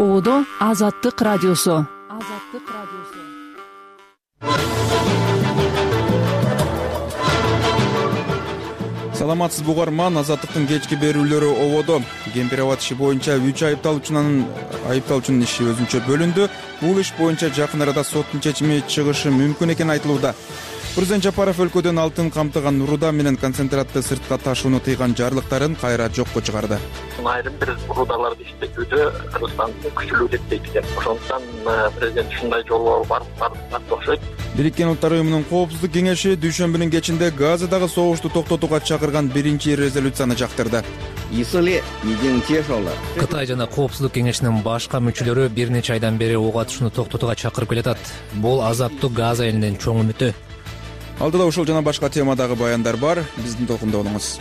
Оодо Азаттык радиосу. Саламатсыз угарман, Азаттыктын кечки берүүлөрү ободо. Кемпир-абад иши боюнча 3 айыпталуучунун иши өзүнчө бөлүндү. Бул иш боюнча жакын арада соттун чечими чыгышы мүмкүн экени айтылууда. Президент Жапаров өлкөдөн алтын камтыган руда менен концентратты сыртка ташууну тыйган жарлыктарын кайра жокко чыгарды. Айрым бир рудаларды иштетүүдө Кыргызстандын күчүлүү деп дейт экен. Ошондуктан президент ушундай жолго барып окшойт. Бириккен Улуттар уюмунун коопсуздук кеңеши дүйшөмбүнүн кечинде Газадагы согушту токтотууга чакырган биринчи резолюцияны жактырды. Кытай жана коопсуздук кеңешинин башка мүчөлөрү бир нече айдан бери ок атышууну токтотууга чакырып келатат. Бул азаттуу Газа элинин чоң үмүтү. Алдыда ушул жана башка темадагы баяндар бар. Биздин толкунда болуңуз.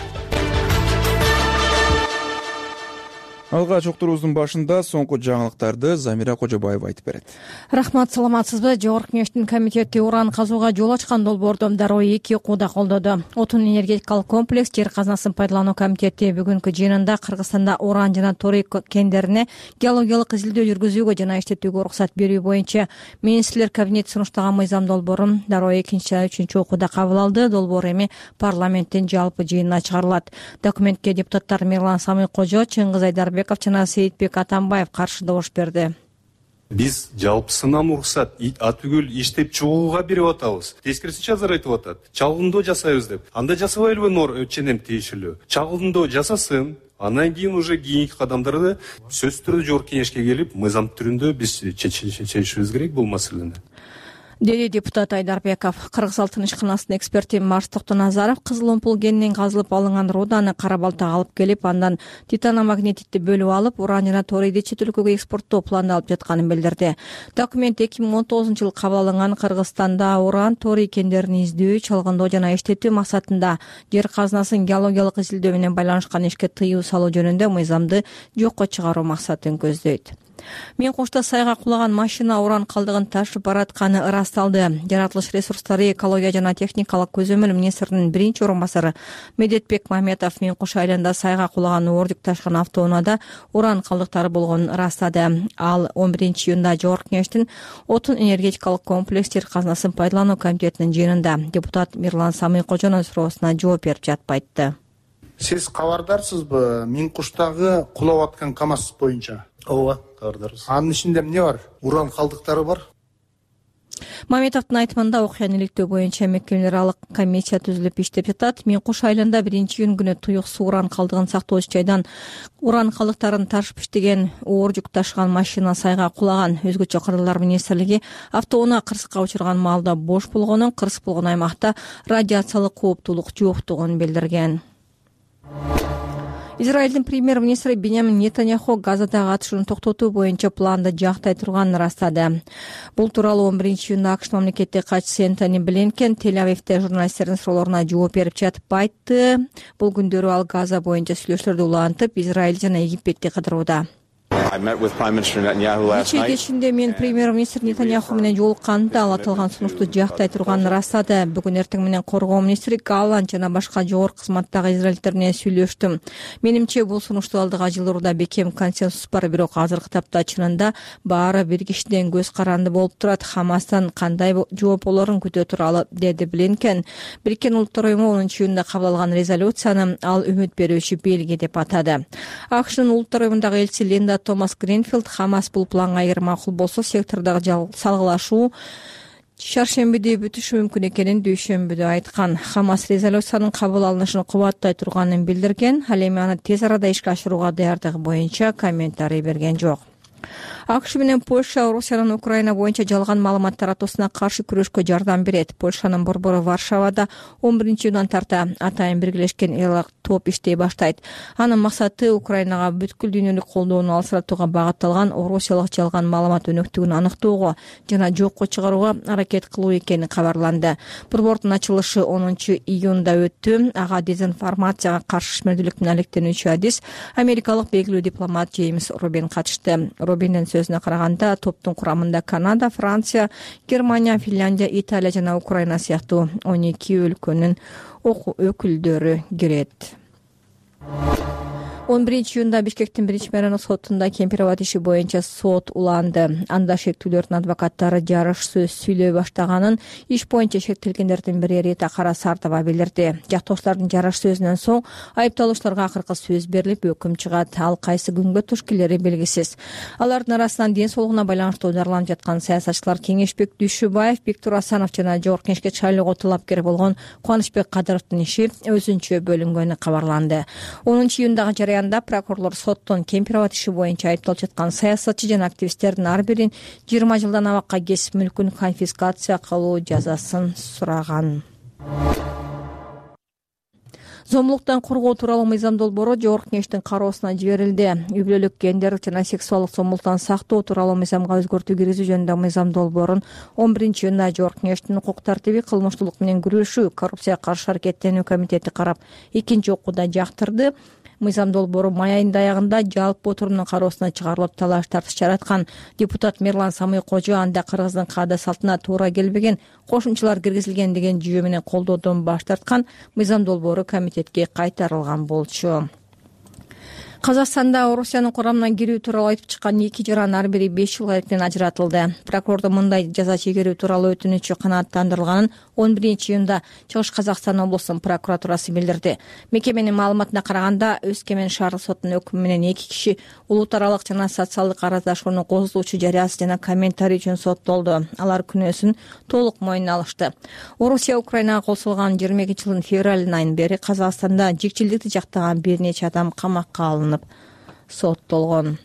Алгач уктуруубуздун башында соңку жаңылыктарды Замира Кожобаева айтып берет. Рахмат, саламатсызбы? Жогорку кеңештин комитети уран казууга жол ачкан долбоорду дароо 2 окууда колдоду. Отун энергетикалык комплекс жер казынасын пайдалануу комитети бүгүнкү жыйынында Кыргызстанда уран жана торий кендерине геологиялык изилдөө жүргүзүүгө жана иштетүүгө уруксат берүү боюнча министрлер кабинети сунуштаган мыйзам долбоорун дароо 2-3 окууда кабыл алды. Долбоор эми парламенттин жалпы жыйынына чыгарылат. Документке депутаттар Мирлан Самый-Кожо, Чыңгыз Айдарбеков жана Сейитбек Атамбаев каршы добуш берди. Биз жалпысынан уруксат атүгүл иштеп чыгууга берип атабыз. Тескерисинче азыр айтып атат. Чагылдоо жасайбыз деп. Анда жасабайлыбы ченем тиешелүү. Чагылдоо жасасын. Андан кийин уже кийинки кадамдарды сөзсүз түрдө жогорку кеңешке келип, мыйзам түрүндө биз чечишибиз керек бул маселени. Деди депутат Айдарбеков. Кыргыз алтын ишканасынын эксперти Марс Токтоназаров кызыл омпул кенинен казылып алынган руданы Кара Балтага алып келип, андан титаномагнетитти бөлүп алып, уран жана торийди чет өлкөгө экспорттоо пландалып жатканын билдирди. Документ 2019-жылы кабыл алынган Кыргызстанда уран, торий кендерин издөө, чалгындоо жана иштетүү максатында жер казынасын геологиялык изилдөө менен байланышкан ишке тыюу салуу жөнүндө мыйзамды жокко чыгаруу максатын көздөйт. Мен кошто сайга кулаган машина уран калдыгын ташып баратканы ырасталды. Жаратылыш ресурстары, экология жана техникалык көзөмөл министринин биринчи орун басары Медетбек Мамедов Мен Кош айылында сайга кулаган оордук ташкан автоунаада уран калдыктары болгонун ырастады. Ал 11-июнда жогорку кеңештин отун энергетикалык комплекс жер казынасын пайдалануу комитетинин жыйынында депутат Мирлан Самый-Кожонун суроосуна жооп берип жатып айтты. Сиз кабардарсызбы Мен Коштагы кулап аткан КАМАЗ боюнча? Ооба, кабардарбыз. Анын ичинде эмне бар? Уран калдыктары бар. Мамедовдун айтымында окуяны иликтөө боюнча мекемелер аралык комиссия түзүлүп иштеп жатат. Мен Кош айылында 1-июнь күнү туюксуу уран калдыгын сактоочу жайдан уран калдыктарын ташып иштеген оор жүк ташыган машина сайга кулаган. Өзгөчө кырдаалдар министрлиги автоунаа кырсыкка учурган маалда бош болгонун, кырсык болгон аймакта радиациялык кооптуулук жоктугун билдирген. Израилдин премьер-министри Биньямин Нетаньяху Газадагы атышууну токтотуу боюнча планды жактай турганын ырастады. Бул тууралуу 11-июнда АКШ мамлекеттик катчысы Энтони Блинкен Тель-Авивде журналисттердин суроолоруна жооп берип жатып айтты. Бул күндөрү ал Газа боюнча сүйлөшүүлөрдү улантып, Израиль жана Египетти кыдырууда. Кечээ кечинде мен премьер-министр Нетаньяху менен жолукканда ал аталган сунушту жактай турганын ырастады. Бүгүн эртең менен коргоо министри Галланд жана башка жогорку кызматтагы израильдер менен сүйлөштүм. Менимче бул сунушту алдыга жылуурда бекем консенсус бар, бирок азыркы тапта чынында баары бир кишиден көз каранды болуп турат. Хамастан кандай жооп болорун күтө туралы, деди Блинкен. Бириккен Улуттар уюму 10-июнда кабыл алган резолюцияны ал үмүт берүүчү белги деп атады. АКШнын Улуттар уюмундагы элчиси Линда Томас Гринфилд Хамас бул планга эгер макул болсо сектордогу салгылашуу шаршембиде бүтүшү мүмкүн экенин дүйшөмбүдө айткан. Хамас резолюциянын кабыл алынышын кубаттай турганын билдирген. Ал эми аны тез арада ишке ашырууга даярдыгы боюнча комментарий берген жок. АКШ менен Польша Орусиянын Украина боюнча жалган маалымат таратуусуна каршы күрөшкө жардам берет. Польшанын борбору Варшавада 11-июндан тарта атайын биргелешкен элак топ иштей баштайт. Анын максаты Украинага бүткүл дүйнөлүк колдоону алсыратууга багытталган орусиялык жалган маалымат өнөктүгүн аныктоого жана жокко чыгарууга аракет кылуу экени кабарланды. Борбордун ачылышы 10-июнда өттү. Ага дезинформацияга каршы ишмердүүлүк менен алектенүүчү адис америкалык белгилүү дипломат Джеймс Робин катышты. Робиндин сөзүнө караганда, топтун курамында Канада, Франция, Германия, Финляндия, Италия жана Украина сыяктуу 12 өлкөнүн өкүлдөрү кирет. 11-июнда Бишкектин биринчи мэринок сотунда Кемпирабад иши боюнча сот уланды. Анда шектүүлөрдүн адвокаттары жарыш сөз сүйлөй баштаганын иш боюнча шектелгендердин бири Рита Карасартова билдирди. Жактоочулардын жарыш сөзүнөн соң айыпталуучуларга акыркы сөз берилип, өкүм чыгат. Ал кайсы күнгө туш келери белгисиз. Алардын арасынан ден соолугуна байланыштуу дарыланып жаткан саясатчылар Кеңешбек Дүйшөбаев, Бектур Асанов жана Жогорку Кеңешке шайлоого талапкер болгон Кубанычбек Кадыровдун иши өзүнчө бөлүнгөнү кабарланды. 10-июндагы жарыянда прокурорлор соттон Кемпирабад иши боюнча айыпталып жаткан саясатчы жана активисттердин ар бирин 20 жылдан абакка кесип мүлкүн конфискация кылуу жазасын сураган. Зомбулуктан коргоо тууралуу мыйзам долбоору Жогорку Кеңештин кароосуна жиберилди. Үй бүлөлүк, гендерлик жана сексуалдык зомбулуктан сактоо тууралуу мыйзамга өзгөртүү киргизүү жөнүндө мыйзам долбоорун 11-июнда Жогорку Кеңештин укук тартиби, кылмыштуулук менен күрөшүү, коррупцияга каршы аракеттенүү комитети карап экинчи окууда жактырды. Мыйзам долбоору май айынын аягында жалпы отурумдун кароосуна чыгарылып, талаш тартыш жараткан. Депутат Мерлан Самый-Кожо анда кыргыздын каада салтына туура келбеген кошумчалар киргизилген деген жүйө менен колдоодон баш тарткан. Мыйзам долбоору комитетке кайтарылган болчу. Казакстанда Орусиянын курамына кирүү тууралуу айтып чыккан 2 жаран ар бири 5 жылга эрктен ажыратылды. Прокурордун мындай жаза чегерүү тууралуу өтүнүчү канааттандырылганын 11-июнда Чыгыш Казакстан облусунун прокуратурасы билдирди. Мекеменин маалыматына караганда, Өскемен шаардык сотунун өкүмү менен 2 киши улут аралык жана социалдык араздашууну козулуучу жарыясы жана комментарий үчүн соттолду. Алар күнөөсүн толук мойнуна алышты. Орусия Украинага кол салган 22-жылдын февраль айынан бери Казакстанда жикчилдикти жактаган бир нече адам камакка алынып соттолгон.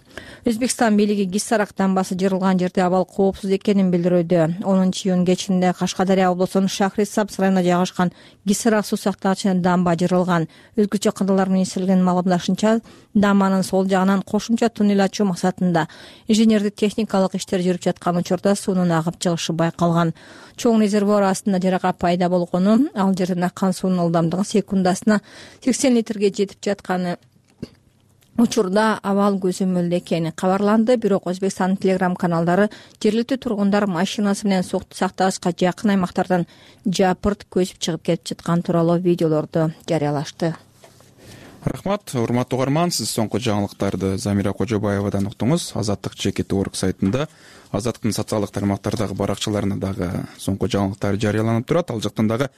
Өзбекстан бийлиги Гиссарак дамбасы жырылган жерде абал коопсуз экенин билдирүүдө. 10-июн кечинде Кашкадария облусунун Шахрисабз районунда жайгашкан Гиссарак суу сактагычынын дамба жырылган. Өзгөчө кырдаалар министрлигинин маалымдашынча, дамбанын сол жагынан кошумча туннель ачуу максатында инженердик техникалык иштер жүрүп жаткан учурда суунун агып чыгышы байкалган. Чоң резервуар астында жарака пайда болгону, ал жерден аккан суунун ылдамдыгы секундасына 80 литрге жетип жатканы учурда абал көзөмөлдө экени кабарланды. Бирок Өзбекстандын телеграм каналдары жергиликтүү тургундар машинасы менен суу сактагычка жакын аймактардан жапырт көзүп чыгып кетип жаткан тууралуу видеолорду жарыялашты. Рахмат, урматтуу угарман, сиз соңку жаңылыктарды Замира Кожобаевадан уктуңуз. Азаттык ЖКТ.org сайтында, Азаттыктын социалдык тармактардагы баракчаларында дагы соңку жаңылыктар жарыяланып турат. Ал жактан дагы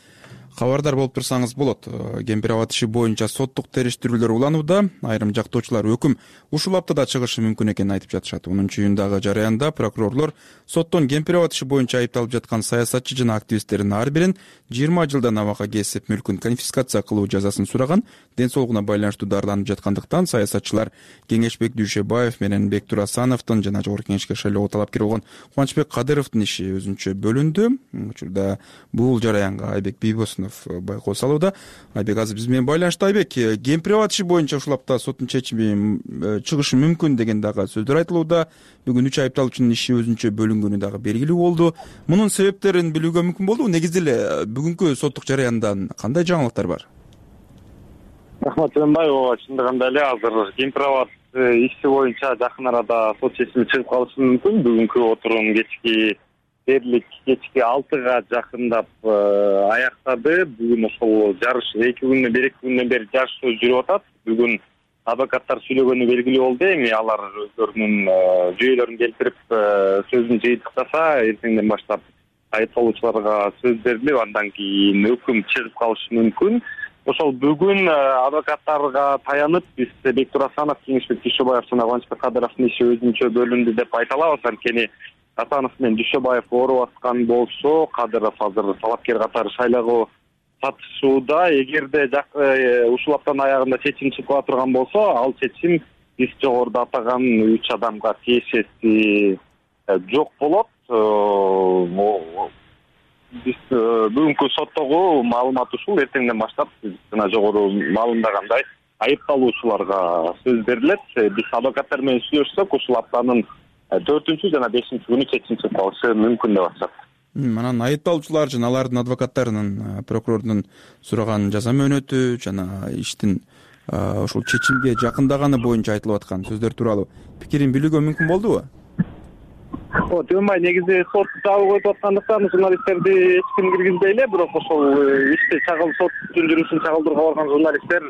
кабардар болуп турсаңыз болот. Кемпирабад иши боюнча соттук териштирүүлөр уланууда. Айрым жактоочулар өкүм ушул аптада чыгышы мүмкүн экенин айтып жатышат. 10-июндагы жарыянда прокурорлор соттон Кемпирабад иши боюнча айыпталып жаткан саясатчы жана активисттердин ар бирин 20 жылдан абакка кесип мүлкүн конфискация кылуу жазасын сураган. Ден соолугуна байланыштуу дарыланып жаткандыктан саясатчылар Кеңешбек Дүйшөбаев менен Бектур Асановдун жана Жогорку Кеңешке шайлоого талапкер болгон Кубанычбек Кадыровдун иши өзүнчө бөлүндү. Учурда бул жараянга Айбек Бийбосунов байкоо салууда. Айбек азыр биз менен байланышта. Айбек, Кемпирабад иши боюнча ушул апта соттун чечими чыгышы мүмкүн деген дагы сөздөр айтылууда. Бүгүн 3 айыпталуучунун иши өзүнчө бөлүнгөнү дагы белгилүү болду. Мунун себептерин билүүгө мүмкүн болдубу? Негизде эле бүгүнкү соттук жарыяндан кандай жаңылыктар бар? Рахмат Жөнбай, чындыгында эле азыр Кемпирабад иши боюнча жакын арада сот чечими чыгып калышы мүмкүн. Бүгүнкү отурум дээрлик кечки 6-га жакындап аяктады. Бүгүн ошол жарыш 2 күндөн бери жарыш сөз жүрүп атат. Бүгүн адвокаттар сүйлөгөнү белгилүү болду. Эми алар өздөрүнүн жүйөлөрүн келтирип сөзүн жыйынтыктаса, эртеңден баштап айыпталуучуларга сөз берилип, андан кийин өкүм чыгып калышы мүмкүн. Ошол бүгүн адвокаттарга таянып биз Бектур Асанов, Кеңешбек Дүйшөбаев жана Кубанычбек Кадыровдун иши өзүнчө бөлүндү деп айта алабыз. Анткени Асанов менен Дүйшөбаев ооруп аткан болсо, Кадыров азыр талапкер катары шайлоого катышууда. Эгерде ушул аптанын аягында чечим чыгып кала турган болсо, ал чечим биз жогоруда атаган 3 адамга тиешеси жок болот. Биз бүгүнкү соттогу маалымат ушул. Эртеңден баштап биз жана жогору маалымдагандай айыпталуучуларга сөз берилет. Биз адвокаттар менен сүйлөшсөк, ушул аптанын 4 жана 5 күнү чечим чыгып калышы мүмкүн деп атышат. Анан айыпталуучулар жана алардын адвокаттарынын прокурордун сураган жаза мөөнөтү жана иштин ушул чечимге жакындаганы боюнча айтылып аткан сөздөр тууралуу пикирин билүүгө мүмкүн болдубу? Жөнбай негизи сот жабык өтүп аткандыктан журналисттерди эч ким киргизбей эле, бирок ошол ишти соттун жүрүшүн чагылдырууга барган журналисттер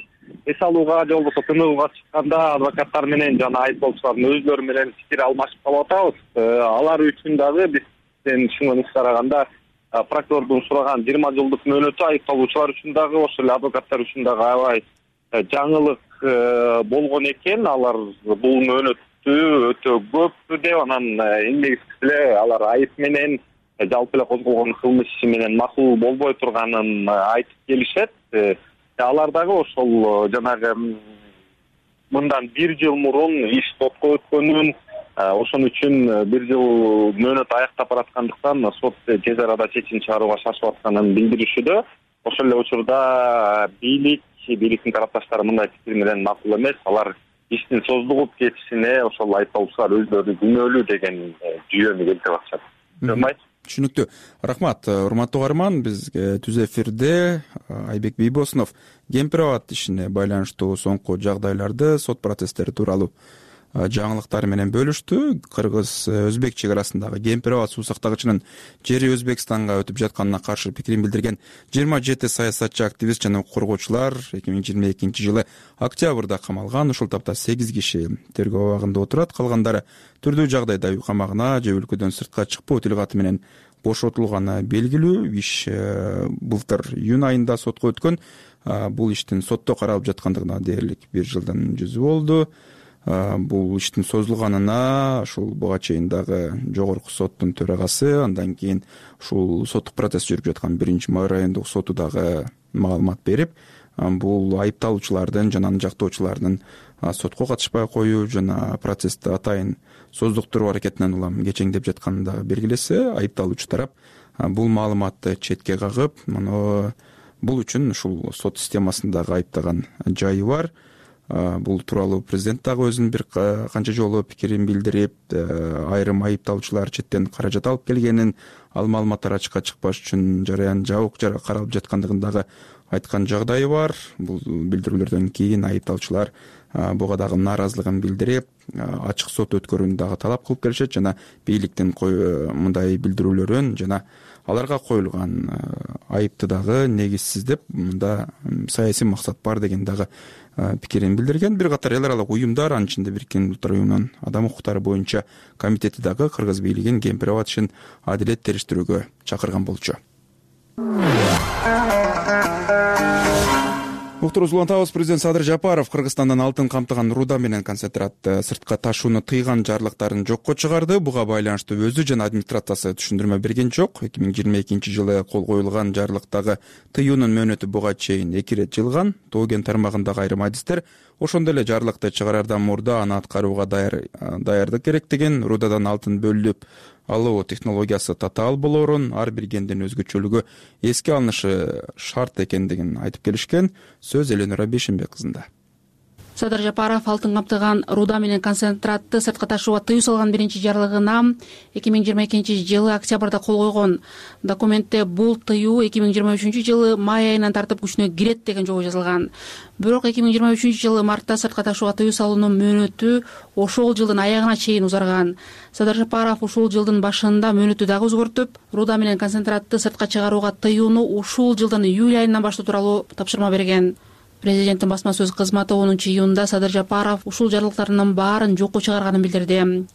эс алууга же болбосо тыныгууга чыкканда адвокаттар менен жана айыптоочулардын өзлөрү менен пикир алмашып калып атабыз. Алар үчүн дагы бизден түшүнгөнүбүзгө караганда прокурордун сураган 20 жылдык мөөнөтү айыпталуучулар үчүн дагы ошол эле адвокаттар үчүн дагы аябай жаңылык болгон экен. Алар бул мөөнөттү өтө көп деп, анан негизгиси эле алар айып менен жалпы эле козголгон кылмыш иши менен макул болбой турганын айтып келишет. Алар дагы ошол жанагы мындан 1 жыл мурун иш сотко өткөнүн, ошон үчүн 1 жыл мөөнөт аяктап бараткандыктан сот тез арада чечим чыгарууга шашып атканын билдиришүүдө. Ошол эле учурда бийликтин тарапташтары мындай пикир менен макул эмес. Алар иштин создугуп кетишине ошол айыпталуучулар өзлөрү күнөөлүү деген жүйөнү келтирип атышат. Түшүнүктүү. Рахмат. Урматтуу угарман, бизге түз эфирде Айбек Бийбосунов Кемпир абад ишине байланыштуу соңку жагдайларды, сот процесстери тууралуу жаңылыктары менен бөлүштү. Кыргыз-өзбек чек арасындагы Кемпир абад суу сактагычынын жери Өзбекстанга өтүп жатканына каршы пикирин билдирген 27 саясатчы, активист жана коргоочулар 2022 жылы октябрда камалган. Ушул тапта 8 киши тергөө абагында отурат. Калгандары түрдүү жагдайда үй камагына же өлкөдөн сыртка чыкпоо тил каты менен бошотулганы белгилүү. Иш былтыр июнь айында сотко өткөн. Бул иштин сотто каралып жаткандыгына дээрлик 1 жылдан жүзү болду. Бул иштин созулганына ушул буга чейин дагы жогорку соттун төрагасы, андан кийин ушул соттук процесс жүрүп жаткан 1 райондук соту дагы маалымат берип, бул айыпталуучулардын жана анын жактоочуларынын сотко катышпай коюу жана процессти атайын создуктуруу аракетинен улам кечеңдеп жатканын дагы белгилесе, айыпталуучу тарап бул маалыматты четке кагып, бул үчүн ушул сот системасындагы айыптаган жайы бар. Бул тууралуу президент дагы өзүнүн бир канча жолу пикирин билдирип, айрым айыпталуучулар четтен каражат алып келгенин, ал маалыматтар ачыкка чыкпаш үчүн жарыян жабык каралып жаткандыгын дагы айткан жагдайы бар. Бул билдирүүлөрдөн кийин айыпталуучулар буга дагы нааразылыгын билдирип, ачык сот өткөрүүнү дагы талап кылып келишет жана бийликтин мындай билдирүүлөрүн жана аларга коюлган айыпты дагы негизсиз деп, мында саясий максат бар деген дагы пикирин билдирген. Бир катар эл аралык уюмдар, анын ичинде Бириккен Улуттар уюмунун адам укуктары боюнча комитети дагы кыргыз бийлигин Кемпир абад ишин адилет териштирүүгө чакырган болчу. Уктуруубузду улантабыз. Президент Садыр Жапаров Кыргызстандан алтын камтыган руда менен концентратты сыртка ташууну тыйган жарлыктарын жокко чыгарды. Буга байланыштуу өзү жана администрациясы түшүндүрмө берген жок. 2022 жылы кол коюлган жарлыктагы тыюунун мөөнөтү буга чейин 2 ирет жылган. Тоген тармагындагы айрым адистер ошондой эле жарлыкты чыгарардан мурда аны аткарууга даярдык керектигин, рудадан алтын бөлүп алуу технологиясы татаал болоорун, ар бир кендин өзгөчөлүгү эске алынышы шарт экендигин айтып келишкен. Сөз Эленора Бешенбек кызында. Садыр Жапаров алтын камтыган руда менен концентратты сыртка ташууга тыюу салган биринчи жарлыгына 2022 жылы октябрда кол койгон. Документте бул тыюу 2023 жылы май айынан тартып күчүнө кирет деген жобо жазылган. Бирок 2023 жылы мартта сыртка ташууга тыюу салуунун мөөнөтү ошол жылдын аягына чейин узарган. Садыр Жапаров ушул жылдын башында мөөнөтү дагы өзгөртүп, руда менен концентратты сыртка чыгарууга тыюуну ушул жылдын июль айынан баштоо тууралуу тапшырма берген. Президенттин басма сөз кызматы 10 июнда Садыр Жапаров ушул жарлыктарынын баарын жокко чыгарганын билдирди.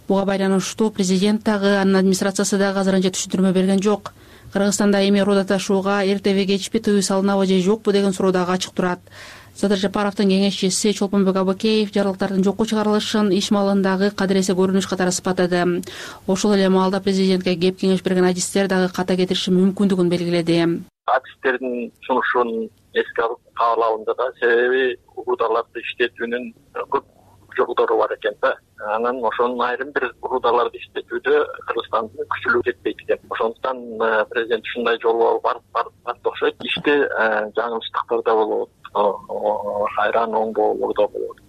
Буга байланыштуу президент дагы, анын администрациясы дагы азырынча түшүндүрмө берген жок. Кыргызстанда эми руда ташууга эртеби кечпи тыюу салынабы же жокпу деген суроо дагы ачык турат. Садыр Жапаровдун кеңешчиси Чолпонбек Абыкеев жарлыктардын жокко чыгарылышын иш маалындагы кадыресе көрүнүш катары сыпаттады. Ошол эле маалда президентке кеп кеңеш берген адистер дагы ката кетириши мүмкүндүгүн белгиледи. Адистердин сунушун эске алып каалабында да, себеби рудаларды иштетүүнүн көп жолдору бар экен да. Анан ошонун айрым бир рудаларды иштетүүдө Кыргызстандын күчүлүгү жетпейт экен. Ошондуктан президент ушундай жолго барып окшойт. Иште жаңылыштыктар да болот, кайран оңдоолор да болот.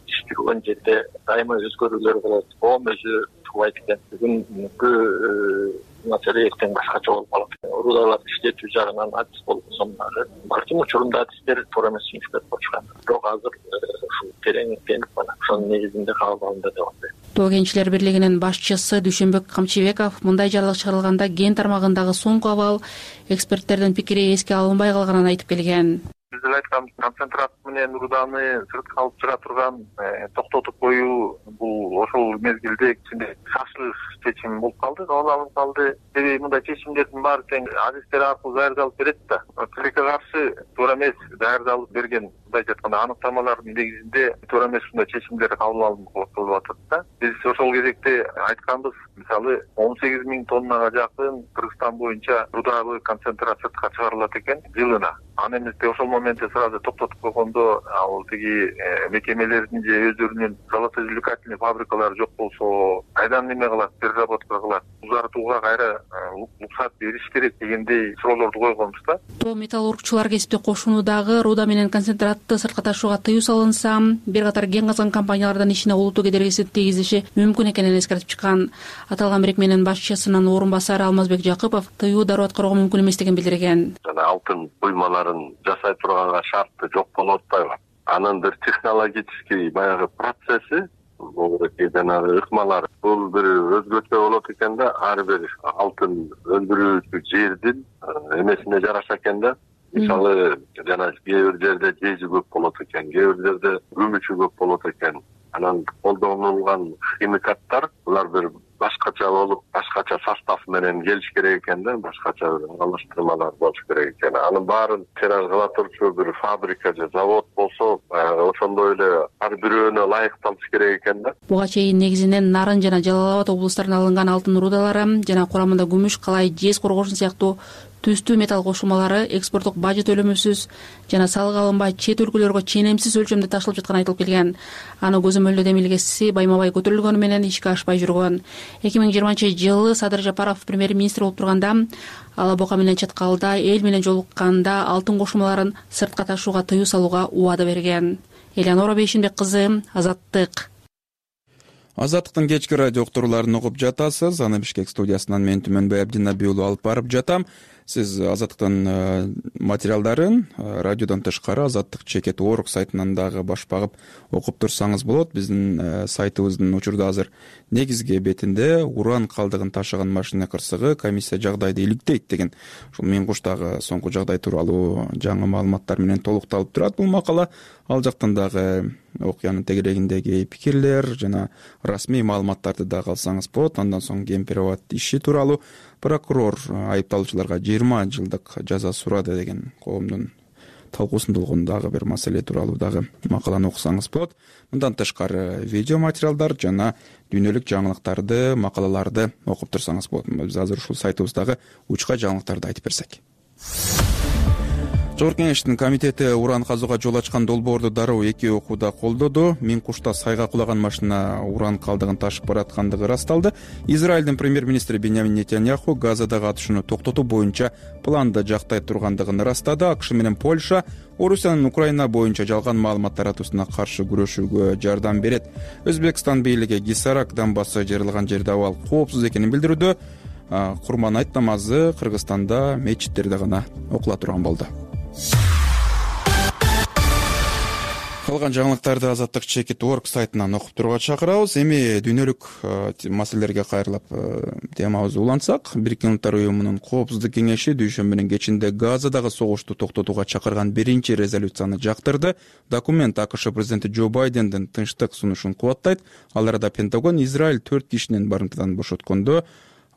Иш жүргөн жерде дайыма өзгөрүүлөр болот. Коом өзү тубайт экен. Бүгүнкү маселе эртең башкача болуп калат. Рудаларды иштетүү жагынан адис болсом дагы балким учурунда адистер туура эмес сүйлөшүп болушкан. Бирок азыр ушул тереңденип ошонун негизинде кабыл алынды деп атайт. кенчилер бирлигинин башчысы Дүйшөнбек Камчыбеков мындай жарлык чыгарылганда ген тармагындагы соңку абал эксперттердин пикири эске алынбай калганын айтып келген. Биз эле айтканбыз, концентрат менен руданы сыртка алып чыга турган токтотуп коюу бул ошол мезгилде кичине шашылыш чечим болуп калды, кабыл алынып калды. Себеби мындай чечимдердин баары тең адистер аркылуу даярдалып берет да. Тилекке каршы туура эмес даярдалып берген, мындайча айтканда аныктамалардын негизинде туура эмес ушундай чечимдер кабыл алынып атат да. Биз ошол кезекте айтканбыз, мисалы 18 000 тоннага жакын Кыргызстан боюнча рудагы концентрат сыртка чыгарылат экен жылына. Аны эместе ошол моментте сразу токтотуп койгондо ал тиги мекемелердин же өздөрүнүн золотоизвлекательный фабрикалары жок болсо кайдан неме кылат, переработка кылат, узартууга кайра уруксат бериш керек дегендей суроолорду койгонбуз да. Тоо металлургчулар кесипти кошунуудагы руда менен концентратты сыртка ташууга тыюу салынса, бир катар кен казган компаниялардын ишине олуттуу кедергиси тийгизиши мүмкүн экенин эскертип чыккан. Аталган бирикменин башчысынын орун басары Алмазбек Жакыпов тыюу дароо аткарууга мүмкүн эмес деген билдирген. Алтын буймаларын жасай турганга шарты жок болуп атпайбы? Анын бир технологический баягы процесси, жанагы ыкмалар бул бир өзгөчө болот экен да, ар бир алтын өндүрүүчү жердин эмесине жараша экен да. Мисалы, жана кээ бир жерде жези көп болот экен, кээ бир жерде күмүчү көп болот экен. Анан колдонулган химикаттар булар бир башкача болуп, башкача состав менен келиш керек экен да, башкача аралаштырмалар болуш керек экен. Анын баарын тираж кыла турчу бир фабрика же завод болсо, ошондой эле ар бирөөнө ылайыкталыш керек экен да. Буга чейин негизинен Нарын жана Жалал Абад облустарынан алынган алтын рудалары жана курамында күмүш, калай, жез коргошун сыяктуу түстүү металл кошулмалары экспорттук бажы төлөмөсүз жана салык алынбай чет өлкөлөргө ченемсиз өлчөмдө ташылып жатканы айтылып келген. Аны көзөмөлдөө демилгеси байма-бай көтөрүлгөнү менен ишке ашпай жүргөн. 2020-жылы Садыр Жапаров премьер-министр болуп турганда Ала Бока менен Чаткалда эл менен жолукканда алтын кошулмаларын сыртка ташууга тыюу салууга убада берген. Элеонора Бейшинбек кызы, Азаттык. Азаттыктын кечки радио уктурууларын угуп жатасыз. Аны Бишкек студиясынан мен Түмөнбай Абдинабий уулу алып барып жатам. Сиз Азаттыктын материалдарын радиодон тышкары Азаттык.org сайтынан дагы баш багып окуп турсаңыз болот. Биздин сайтыбыздын учурда азыр негизги бетинде уран калдыгын ташыган машина кырсыгы комиссия жагдайды иликтейт деген ушул Миңкуштагы соңку жагдай тууралуу жаңы маалыматтар менен толукталып турат бул макала. Ал жактан дагы окуянын тегерегиндеги пикирлер жана расмий маалыматтарды дагы алсаңыз болот. Андан соң Гемпероват иши тууралуу прокурор айыпталуучуларга 20 жылдык жаза сурады деген коомдун талкуусунда болгон дагы бир маселе тууралуу дагы макаланы окусаңыз болот. Мындан тышкары видео материалдар жана дүйнөлүк жаңылыктарды, макалаларды окуп турсаңыз болот. Биз азыр ушул сайтыбыздагы учка жаңылыктарды айтып берсек. Жогорку Кеңештин комитети уран казууга жол ачкан долбоорду дароо 2 окууда колдоду. Миңкушта сайга кулаган машина уран калдыгын ташып бараткандыгы ырасталды. Израилдин премьер-министри Беньямин Нетаньяху Газадагы атышууну токтотуу боюнча планды жактай тургандыгын ырастады. АКШ менен Польша Орусиянын Украина боюнча жалган маалымат таратуусуна каршы күрөшүүгө жардам берет. Өзбекстан бийлиги Гисарак дамбасы жарылган жерде абал коопсуз экенин билдирүүдө. Курман айт намазы Кыргызстанда мечиттерде гана окула турган болду. Калган жаңылыктарды Азаттык.org сайтынан окуп турууга чакырабыз. Эми дүйнөлүк маселелерге кайрылып темабызды улантсак, Бириккен Улуттар уюмунун Коопсуздук кеңеши дүйшөмбүнүн кечинде Газадагы согушту токтотууга чакырган биринчи резолюцияны жактырды. Документ АКШ президенти Джо Байдендин тынчтык сунушун кубаттайт. Ал арада Пентагон Израиль 4 кишинин барымтадан бошоткондо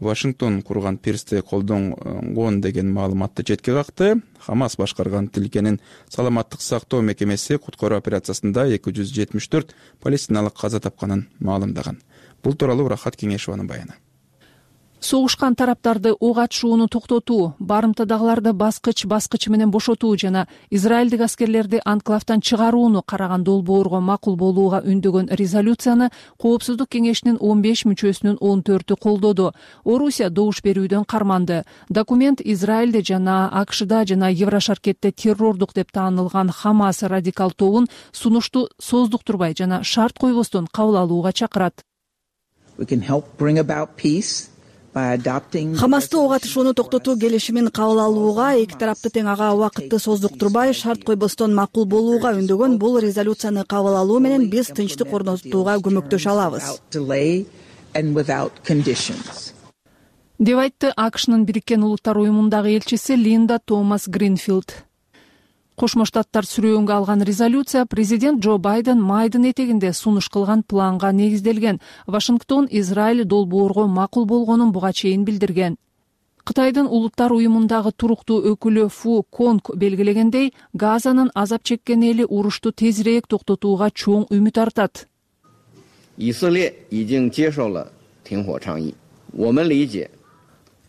Вашингтон курган пирсти колдонгон деген маалыматты четке какты. Хамас башкарган тилкенин саламаттык сактоо мекемеси куткаруу операциясында 274 палестиналык каза тапканын маалымдаган. Бул тууралуу Рахат Кеңешованын баяны. Согушкан тараптарды ок атышууну токтотуу, барымтадагыларды баскыч менен бошотуу жана израилдик аскерлерди анклавтан чыгарууну караган долбоорго макул болууга үндөгөн резолюцияны Коопсуздук кеңешинин 15 мүчөсүнүн 14-ү колдоду. Орусия добуш берүүдөн карманды. Документ Израилде жана АКШда жана Еврошаркетте террордук деп таанылган Хамас радикал тобун сунушту создуктурбай жана шарт койбостон кабыл алууга чакырат. We can help bring about peace Хамасты ок атышууну токтотуу келишимин кабыл алууга, эки тарапты тең ага убакытты сооздуктурбай, шарт койбостон макул болууга үндөгөн бул резолюцияны кабыл алуу менен биз тынчтык орнотууга көмөктөшө алабыз, деп айтты АКШнын Бириккен Улуттар уюмундагы элчиси Линда Томас Гринфилд. Кошмо Штаттар сүрөөнгө алган резолюция президент Джо Байден майдын этегинде сунуш кылган планга негизделген. Вашингтон Израиль долбоорго макул болгонун буга чейин билдирген. Кытайдын Улуттар уюмундагы туруктуу өкүлү Фу Конг белгилегендей, Газанын азап чеккен эли урушту тезирээк токтотууга чоң үмүт артат.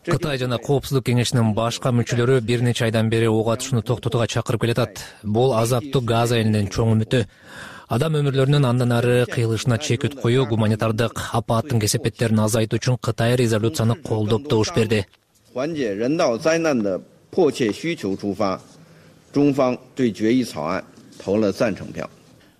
Кытай жана Коопсуздук кеңешинин башка мүчөлөрү бир нече айдан бери ок атышууну токтотууга чакырып келатат. Бул азаптуу Газа элинин чоң үмүтү. Адам өмүрлөрүнүн андан ары кыйылышына чекит коюу, гуманитардык апааттын кесепеттерин азайтуу үчүн Кытай резолюцияны колдоп добуш берди.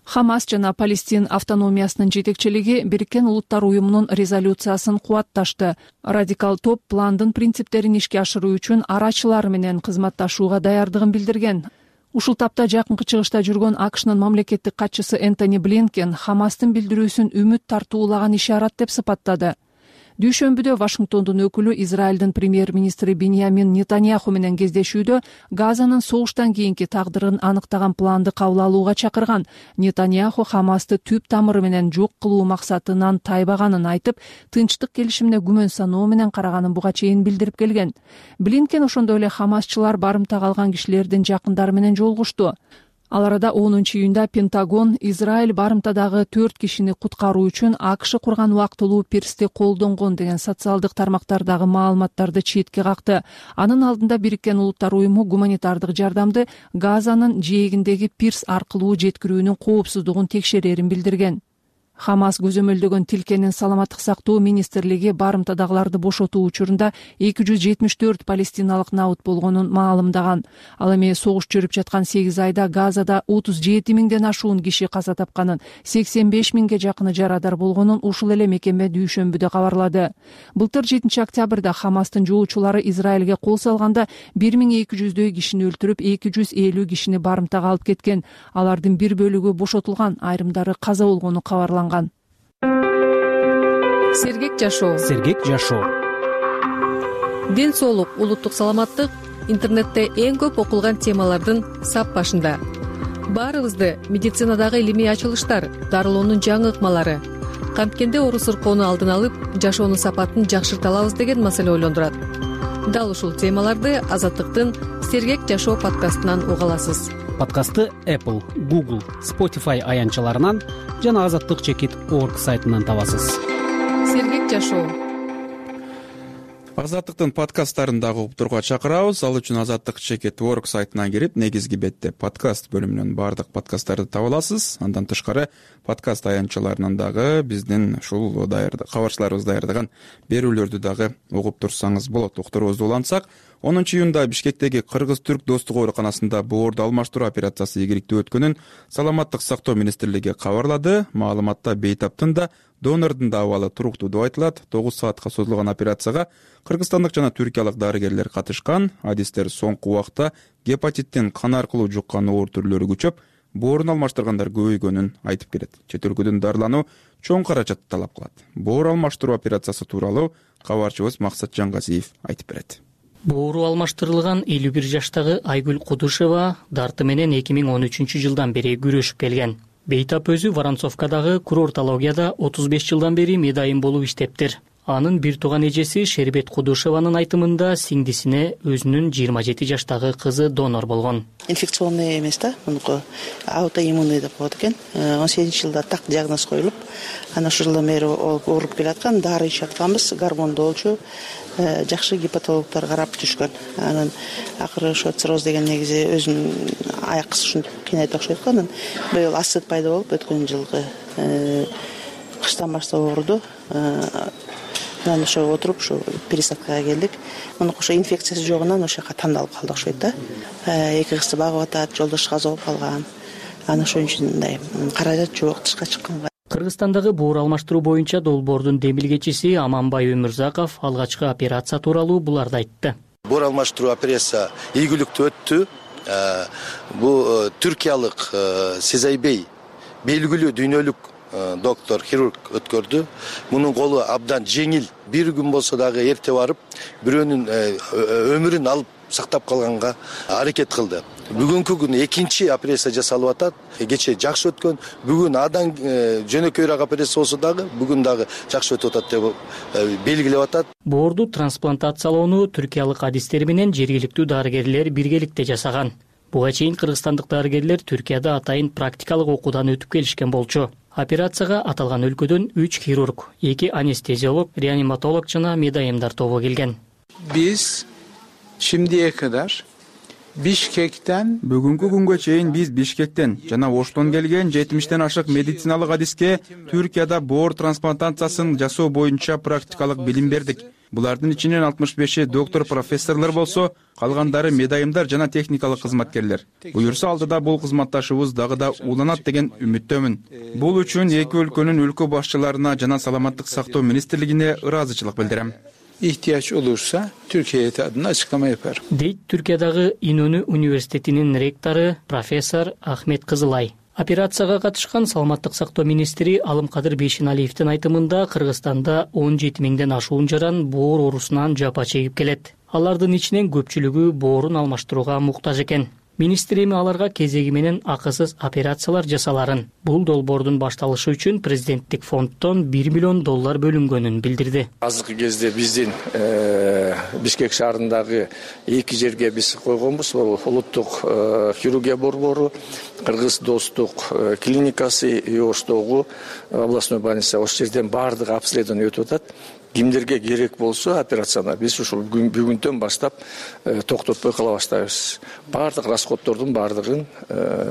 Хамас жана Палестин автономиясынын жетекчилиги Бириккен Улуттар уюмунун резолюциясын кубатташты. Радикал топ пландын принциптерин ишке ашыруу үчүн арачылар менен кызматташууга даярдыгын билдирген. Ушул тапта жакынкы чыгышта жүргөн АКШнын мамлекеттик катчысы Энтони Блинкен Хамастын билдирүүсүн үмүт тартуулаган ишарат деп сыпаттады. Дүйшөмбүдө Вашингтондун өкүлү Израилдин премьер-министри Биньямин Нетаньяху менен кездешүүдө Газанын согуштан кийинки тагдырын аныктаган планды кабыл алууга чакырган. Нетаньяху Хамасты түп тамыры менен жок кылуу максатынан тайбаганын айтып, тынчтык келишимине күмөн саноо менен караганын буга чейин билдирип келген. Блинкен ошондой эле хамасчылар барымтага алган кишилердин жакындары менен жолугушту. Ал арада 10-июнда Пентагон Израиль барымтадагы 4 кишини куткаруу үчүн АКШ курган убактылуу пирсти колдонгон деген социалдык тармактардагы маалыматтарды четке какты. Анын алдында Бириккен Улуттар уюму гуманитардык жардамды Газанын жээгиндеги пирс аркылуу жеткирүүнүн коопсуздугун текшерерин билдирген. Хамас көзөмөлдөгөн тилкенин саламаттык сактоо министрлиги барымтадагыларды бошотуу учурунда 274 палестиналык набыт болгонун маалымдаган. Ал эми согуш жүрүп жаткан 8 айда Газада 37 миңден ашуун киши каза тапканын, 85 миңге жакыны жарадар болгонун ушул эле мекеме дүйшөмбүдө кабарлады. Былтыр 7 октябрда Хамастын жоочулары Израилге кол салганда 1200дөй кишини өлтүрүп, 250 кишини барымтага алып кеткен. Алардын бир бөлүгү бошотулган, айрымдары каза болгону кабарланган. Сергек жашоо. Ден соолук, улуттук саламаттык интернетте эң көп окулган темалардын сап башында. Баарыбызды медицинадагы илимий ачылыштар, дарылоонун жаңы ыкмалары, канткенде оору сыркоону алдын алып, жашоонун сапатын жакшырта алабыз деген маселе ойлондурат. Дал ушул темаларды Азаттыктын Сергек жашоо подкастынан уга аласыз. Подкастты Apple, Google, Spotify аянтчаларынан жана azattik.org сайтынан табасыз. Сергек жашоо. Азаттыктын подкасттарын дагы уктурууга чакырабыз. Ал үчүн azattik.org сайтына кирип, негизги бетте подкаст бөлүмүнөн баардык подкасттарды таба аласыз. Андан тышкары подкаст аянтчаларынан дагы биздин ушул кабарчыларыбыз даярдаган берүүлөрдү дагы угуп турсаңыз болот. Уктуруубузду улантсак, 10-июнда Бишкектеги Кыргыз-Түрк достук ооруканасында боорду алмаштыруу операциясы ийгиликтүү өткөнүн Саламаттык сактоо министрлиги кабарлады. Маалыматта бейтаптын да, донордун да абалы туруктуу деп айтылат. 9 саатка созулган операцияга кыргызстандык жана түркиялык дарыгерлер катышкан. Адистер соңку убакта гепатиттин кан аркылуу жуккан оор түрлөрү күчөп, боорун алмаштыргандар көбөйгөнүн айтып келет. Чет өлкөдөн дарылануу чоң каражатты талап кылат. Боор алмаштыруу операциясы тууралуу кабарчыбыз Максат Жангазиев айтып берет. Боору алмаштырылган 51 жаштагы Айгүл Кудушева дарты менен 2013 жылдан бери күрөшүп келген. Бейтап өзү Воронцовкадагы курортологияда 35 жылдан бери медайым болуп иштептир. Анын бир тууган эжеси Шербет Кудушеванын айтымында сиңдисине өзүнүн 27 жаштагы кызы донор болгон. Инфекционный эмес да, мунуку аутоиммунный деп коет экен. 18 жылда так диагноз коюлуп, анан ошол жылдан бери ооруп келаткан, дары ичип атканбыз, гормондолчу, жакшы гепатологдор карап жүрүшкөн. Анан акыры ошо цирроз деген негизи өзүнүн аяк ушинтип кыйнайт окшойт го. Анан быйыл астыт пайда болуп, өткөн жылкы кыштан баштап ооруду. Анан ошо отуруп, ошо пересадкага келдик. Муну ошо инфекциясы жогунан ошо жака тандалып калдык окшойт да. Эки кызды багып атат, жолдошу каза болуп калган. Анан ошон үчүн мындай каражат жок, тышка чыкканга Кыргызстандагы боор алмаштыруу боюнча долбоордун демилгечиси Аманбай Өмүрзаков алгачкы операция тууралуу буларды айтты. Боор алмаштыруу операция ийгиликтүү өттү. Бул түркиялык Сезайбей белгилүү дүйнөлүк доктор, хирург өткөрдү. Мунун колу абдан жеңил. Бир күн болсо дагы эрте барып, бирөөнүн өмүрүн алып сактап калганга аракет кылды. Бүгүнкү күнү экинчи операция жасалып атат. Кече жакшы өткөн. Бүгүн адан жөнөкөйрөөк операция болсо дагы бүгүн дагы жакшы өтүп атат деп белгилеп атат. Боорду трансплантациялоону түркиялык адистер менен жергиликтүү дарыгерлер биргеликте жасаган. Буга чейин кыргызстандык дарыгерлер Түркияда атайын практикалык окуудан өтүп келишкен болчу. Операцияга аталган өлкөдөн 3 хирург, 2 анестезиолог, реаниматолог жана медайымдар тобу келген. Биз şimdiye kadar Бишкектен бүгүнкү күнгө чейин биз Бишкектен жана Оштон келген 70тен ашык медициналык адиске Түркияда боор трансплантациясын жасоо боюнча практикалык билим бердик. Булардын ичинен 65-и доктор профессорлор болсо, калгандары медайымдар жана техникалык кызматкерлер. Буюрса алдыда бул кызматташыбыз дагы да уланат деген үмүттөмүн. Бул үчүн эки өлкөнүн өлкө башчыларына жана саламаттык сактоо министрлигине ыраазычылык билдирем. ihtiyaç olursa Türkiye heyeti adına açıklama yapar. Дейт Түркиядагы Инөнү университетинин ректору профессор Ахмет Кызылай. Операцияга катышкан саламаттык сактоо министри Алымкадыр Бейшеналиевдин айтымында Кыргызстанда 17 миңден ашуун жаран боор оорусунан жапа чегип келет. Алардын ичинен көпчүлүгү боорун алмаштырууга муктаж экен. Министр эми аларга кезеги менен акысыз операциялар жасаларын. Бул долбоордун башталышы үчүн президенттик фонддон $1 миллион бөлүнгөнүн билдирди. Азыркы кезде биздин Бишкек шаарындагы эки жерге биз койгонбуз. Улуттук хирургия борбору, Кыргыз достук клиникасы и Оштогу областной больница. Ошол жерден баардык обследование өтүп атат. Кимдерге керек болсо операцияны биз ушул бүгүндөн баштап токтотпой кыла баштайбыз. Баардык расходдордун баардыгын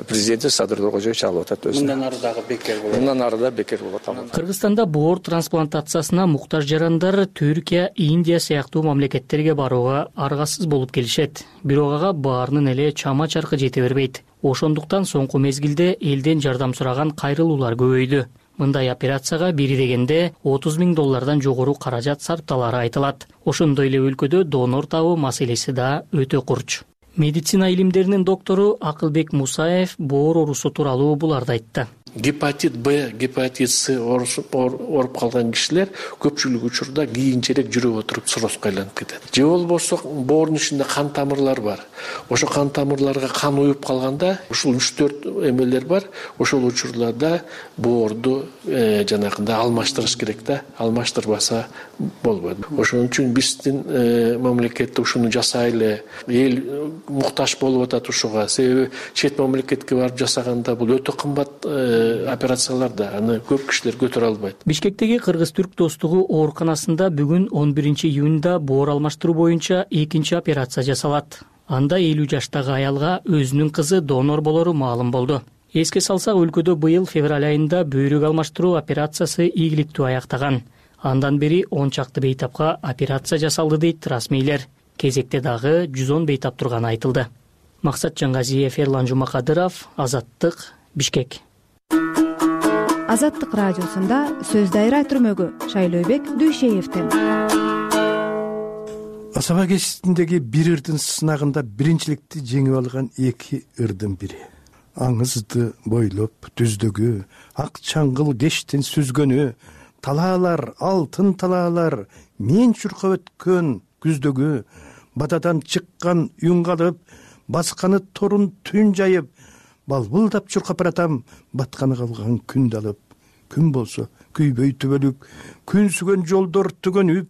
президент Садыр Тургунбаев алып атат өзүнө. Мындан ары дагы бекер болот. Мындан ары да бекер болот. Кыргызстанда боор трансплантациясына муктаж жарандар Түркия, Индия сыяктуу мамлекеттерге барууга аргасыз болуп келишет. Бирок ага баарынын эле чама чаркы жете бербейт. Ошондуктан соңку мезгилде элден жардам сураган кайрылуулар көбөйдү. Мындай операцияга бири дегенде $30 миң жогору каражат сарпталары айтылат. Ошондой эле өлкөдө донор табуу маселеси да өтө курч. Медицина илимдеринин доктору Акылбек Мусаев боор оорусу тууралуу буларды айтты. Гепатит Б, гепатит С ооруп калган кишилер көпчүлүк учурда кийинчерээк жүрүп отуруп циррозго айланып кетет. Же болбосо боордун ичинде кан тамырлар бар. Ошо кан тамырларга кан уюп калганда ушул 3-4 эмелер бар. Ошол учурларда боорду жанагындай алмаштырыш керек да. Алмаштырбаса болбойт. Ошон үчүн биздин мамлекетте ушуну жасайлы. Эл муктаж болуп атат ушуга. Себеби чет мамлекетке барып жасаганда бул өтө кымбат операцияларда аны көп кишилер көтөрө албайт. Бишкектеги Кыргыз-Түрк достугу ооруканасында бүгүн 11 июнда боор алмаштыруу боюнча экинчи операция жасалат. Анда 50 жаштагы аялга өзүнүн кызы донор болору маалым болду. Эске салсак, өлкөдө быйыл февраль айында бөйрөк алмаштыруу операциясы ийгиликтүү аяктаган. Андан бери 10 чакты бейтапка операция жасалды дейт расмийлер. Кезекте дагы 110 бейтап турганы айтылды. Максат Жаңгазиев, Эрлан Жумакадыров, Азаттык, Бишкек. Азаттык радиосунда сөз дайра түрмөгү Шайлообек Дүйшеевден. Асаба кечисиндеги бир ырдын сынагында биринчиликти жеңип алган эки ырдын бири. Аңызды бойлоп түздөгү, ак чаңгыл кештин сүзгөнү, талаалар, алтын талаалар, мен чуркап өткөн күздөгү, батадан чыккан үн калып, басканы торун түн жайып, балбылдап чуркап баратам, батканы калган күндү алып. Күн болсо күйбөй түбөлүк, күн сүгөн жолдор түгөнүп,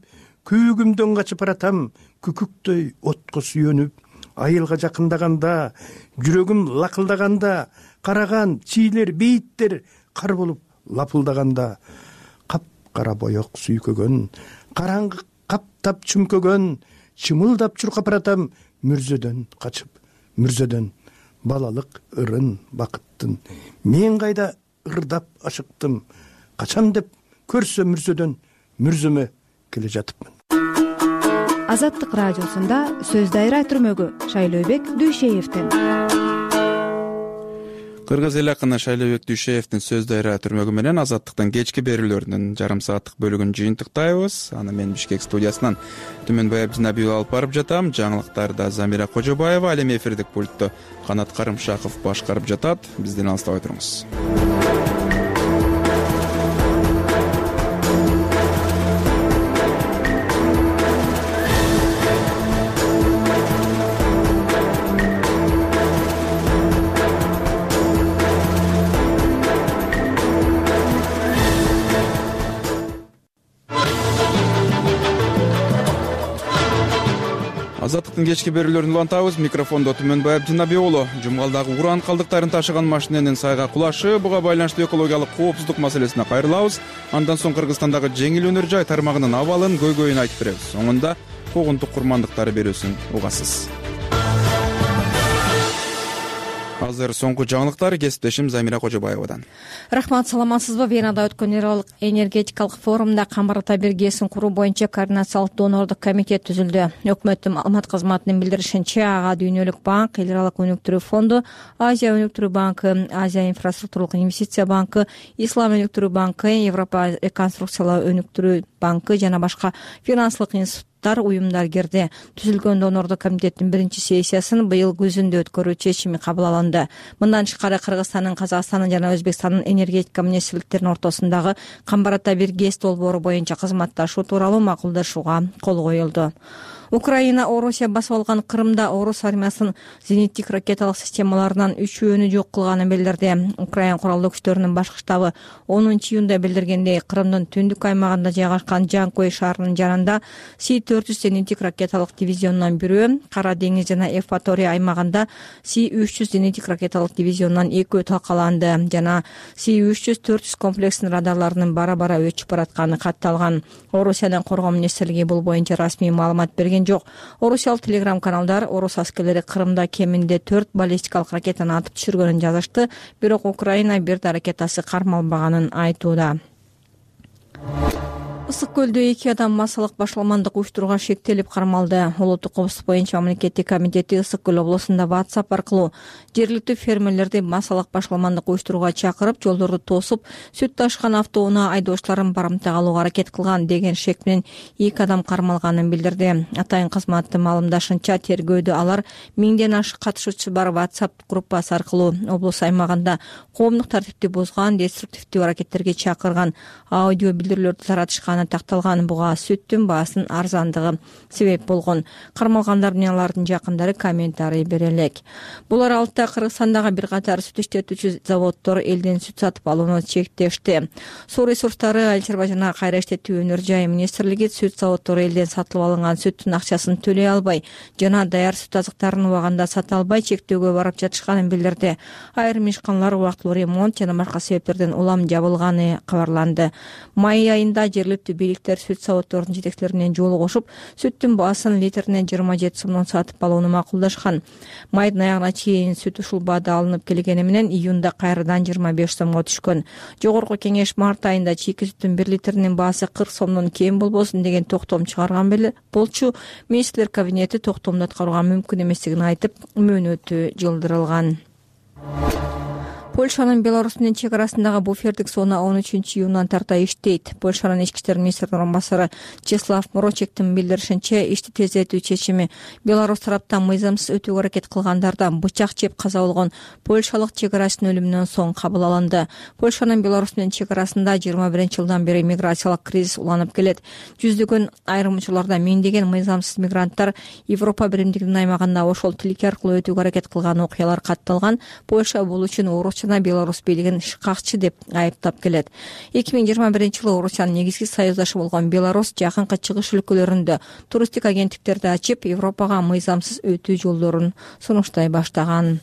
күйгүмдөн качып баратам, күкүктөй отко сүйөнүп. Айылга жакындаганда, жүрөгүм лакылдаганда, караган чийлер, бейиттер кар болуп лапылдаганда, кап-кара боек сүйкөгөн, караңгы каптап чүмкөгөн, чымылдап чуркап баратам, мүрзөдөн качып, мүрзөдөн балалык ырын бакыттын. Мен кайда ырдап ашыктым, качан деп көрсө мүрзөдөн мүрзөмө келе жатыпмын. Азаттык радиосунда сөз дайра түрмөгү Шайлообек Дүйшеевден. Кыргыз эл акыны Шайлообек Дүйшеевдин сөз дайра түрмөгү менен Азаттыктын кечки берүүлөрүнүн жарым сааттык бөлүгүн жыйынтыктайбыз. Аны мен Бишкек студиясынан Түмөнбай Абдинабиев алып барып жатам. Жаңылыктарда Замира Кожобаева, ал эми эфирдик пультту Канат Карымшаков башкарып жатат. Бизден алыстабай туруңуз. Азаттыктын кечки берүүлөрүн улантабыз. Микрофондо Түмөнбай Абдинабиев уулу. Жумгалдагы уран калдыктарын ташыган машиненин сайга кулашы, буга байланыштуу экологиялык коопсуздук маселесине кайрылабыз. Андан соң Кыргызстандагы жеңил өнөр жай тармагынын абалын көйгөйүн айтып беребиз. Соңунда когунтук курмандыктары берүүсүн угасыз. Азыр соңку жаңылыктар кесиптешим Замира Кожобаевадан. Рахмат, саламатсызбы? Венада өткөн энергетикалык форумда камбар табир ГЭСин куруу боюнча координациялык донордук комитет түзүлдү. Өкмөттүн маалымат кызматынын билдиришинче, ага Дүйнөлүк банк, Эл аралык өнүктүрүү фонду, Азия өнүктүрүү банкы, Азия инфраструктуралык инвестиция банкы, Ислам өнүктүрүү банкы, Европа реконструкциялоо өнүктүрүү банкы жана башка финансылык институттар, уюмдар кирди. Түзүлгөн донордук комитеттин биринчи сессиясын быйыл күзүндө өткөрүү чечими кабыл алынды. Мындан тышкары Кыргызстандын, Казакстандын жана Өзбекстандын энергетика министрликтеринин ортосундагы камбар табир ГЭС долбоору боюнча кызматташуу тууралуу макулдашууга кол коюлду. Украина Орусия басып алган Крымда орус армиясынын зениттик ракеталык системаларынан 3-өөнү жок кылганын билдирди. Украина куралдуу күчтөрүнүн башкы штабы 10-июнда билдиргендей, Крымдын түндүк аймагында жайгашкан Жанкой шаарынын жанында Си-400 зениттик ракеталык дивизионунан бирөө, Кара деңиз жана Евпатория аймагында Си-300 зениттик ракеталык дивизионунан 2 талкаланды жана Си-300-400 комплексинин радарларынын бара-бара өчүп баратканы катталган. Орусиянын коргоо министрлиги бул боюнча расмий маалымат берген жок. Орусиялык телеграм-каналдар орус аскерлери Крымда кеминде 4 баллистикалык ракетаны атып түшүргөнүн жазышты, бирок Украина бир да ракетасы кармалбаганын айтууда. Ысык көлдө 2 адам массалык башаламандык уюштурууга шектелип кармалды. Улуттук коопсуздук боюнча мамлекеттик комитети Ысык көл облусунда WhatsApp аркылуу жергиликтүү фермерлерди массалык башаламандык уюштурууга чакырып, жолдорду тосуп, сүт ташкан автоунаа айдоочуларын барымтага алууга аракет кылган деген шек менен 2 адам кармалганын билдирди. Атайын кызматтын маалымдашынча, тергөөдө алар 1000ден ашык катышуучусу бар WhatsApp группасы аркылуу облус аймагында коомдук тартипти бузган, деструктивдүү аракеттерге чакырган аудио билдирүүлөрдү таратышканы такталган. Буга сүттүн баасынын арзандыгы себеп болгон. Кармалгандар менен алардын жакындары комментарий бере элек. Бул аралыкта Кыргызстандагы бир катар сүт иштетүүчү заводдор элден сүт сатып алууну чектешти. Суу ресурстары, Айыл чарба жана кайра иштетүү өнөр жай министрлиги сүт заводдору элден сатылып алынган сүттүн акчасын төлөй албай жана даяр сүт азыктарын убагында сата албай чектөөгө барып жатышканын билдирди. Айрым ишканалар убактылуу ремонт жана башка себептерден улам жабылганы кабарланды. Май айында жергиликтүү бийликтер сүт заводдорунун жетекчилери менен жолугушуп, сүттүн баасын литрине 27 сомдон сатып алууну макулдашкан. Майдын аягына чейин сүт ушул баада алынып келгени менен июнда кайрадан 25 сомго түшкөн. Жогорку кеңеш март айында чийки сүттүн 1 литринин баасы 40 сомдон кем болбосун деген токтом чыгарган болчу. Министрлер кабинети токтомду аткарууга мүмкүн эместигин айтып, мөөнөтү жылдырылган. Польшанын Беларусь менен чек арасындагы буфердик зона 13-июндан тарта иштейт. Польшанын ички иштер министринин орун басары Чеслав Морочектин билдиришинче, ишти тездетүү чечими Беларусь тараптан мыйзамсыз өтүүгө аракет кылгандардан бычак жеп каза болгон польшалык чек арачынын өлүмүнөн соң кабыл алынды. Польшанын Беларусь менен чек арасында 21-жылдан бери миграциялык кризис уланып келет. Жүздөгөн, айрым учурларда миңдеген мыйзамсыз мигранттар Европа биримдигинин аймагында ошол тилке аркылуу өтүүгө аракет кылган окуялар катталган. Польша бул үчүн орус Беларусь бийлигин шыкакчы деп айыптап келет. 2021-жылы Орусиянын негизги союздашы болгон Беларусь жакынкы чыгыш өлкөлөрүндө туристтик агенттиктерди ачып, Европага мыйзамсыз өтүү жолдорун сунуштай баштаган.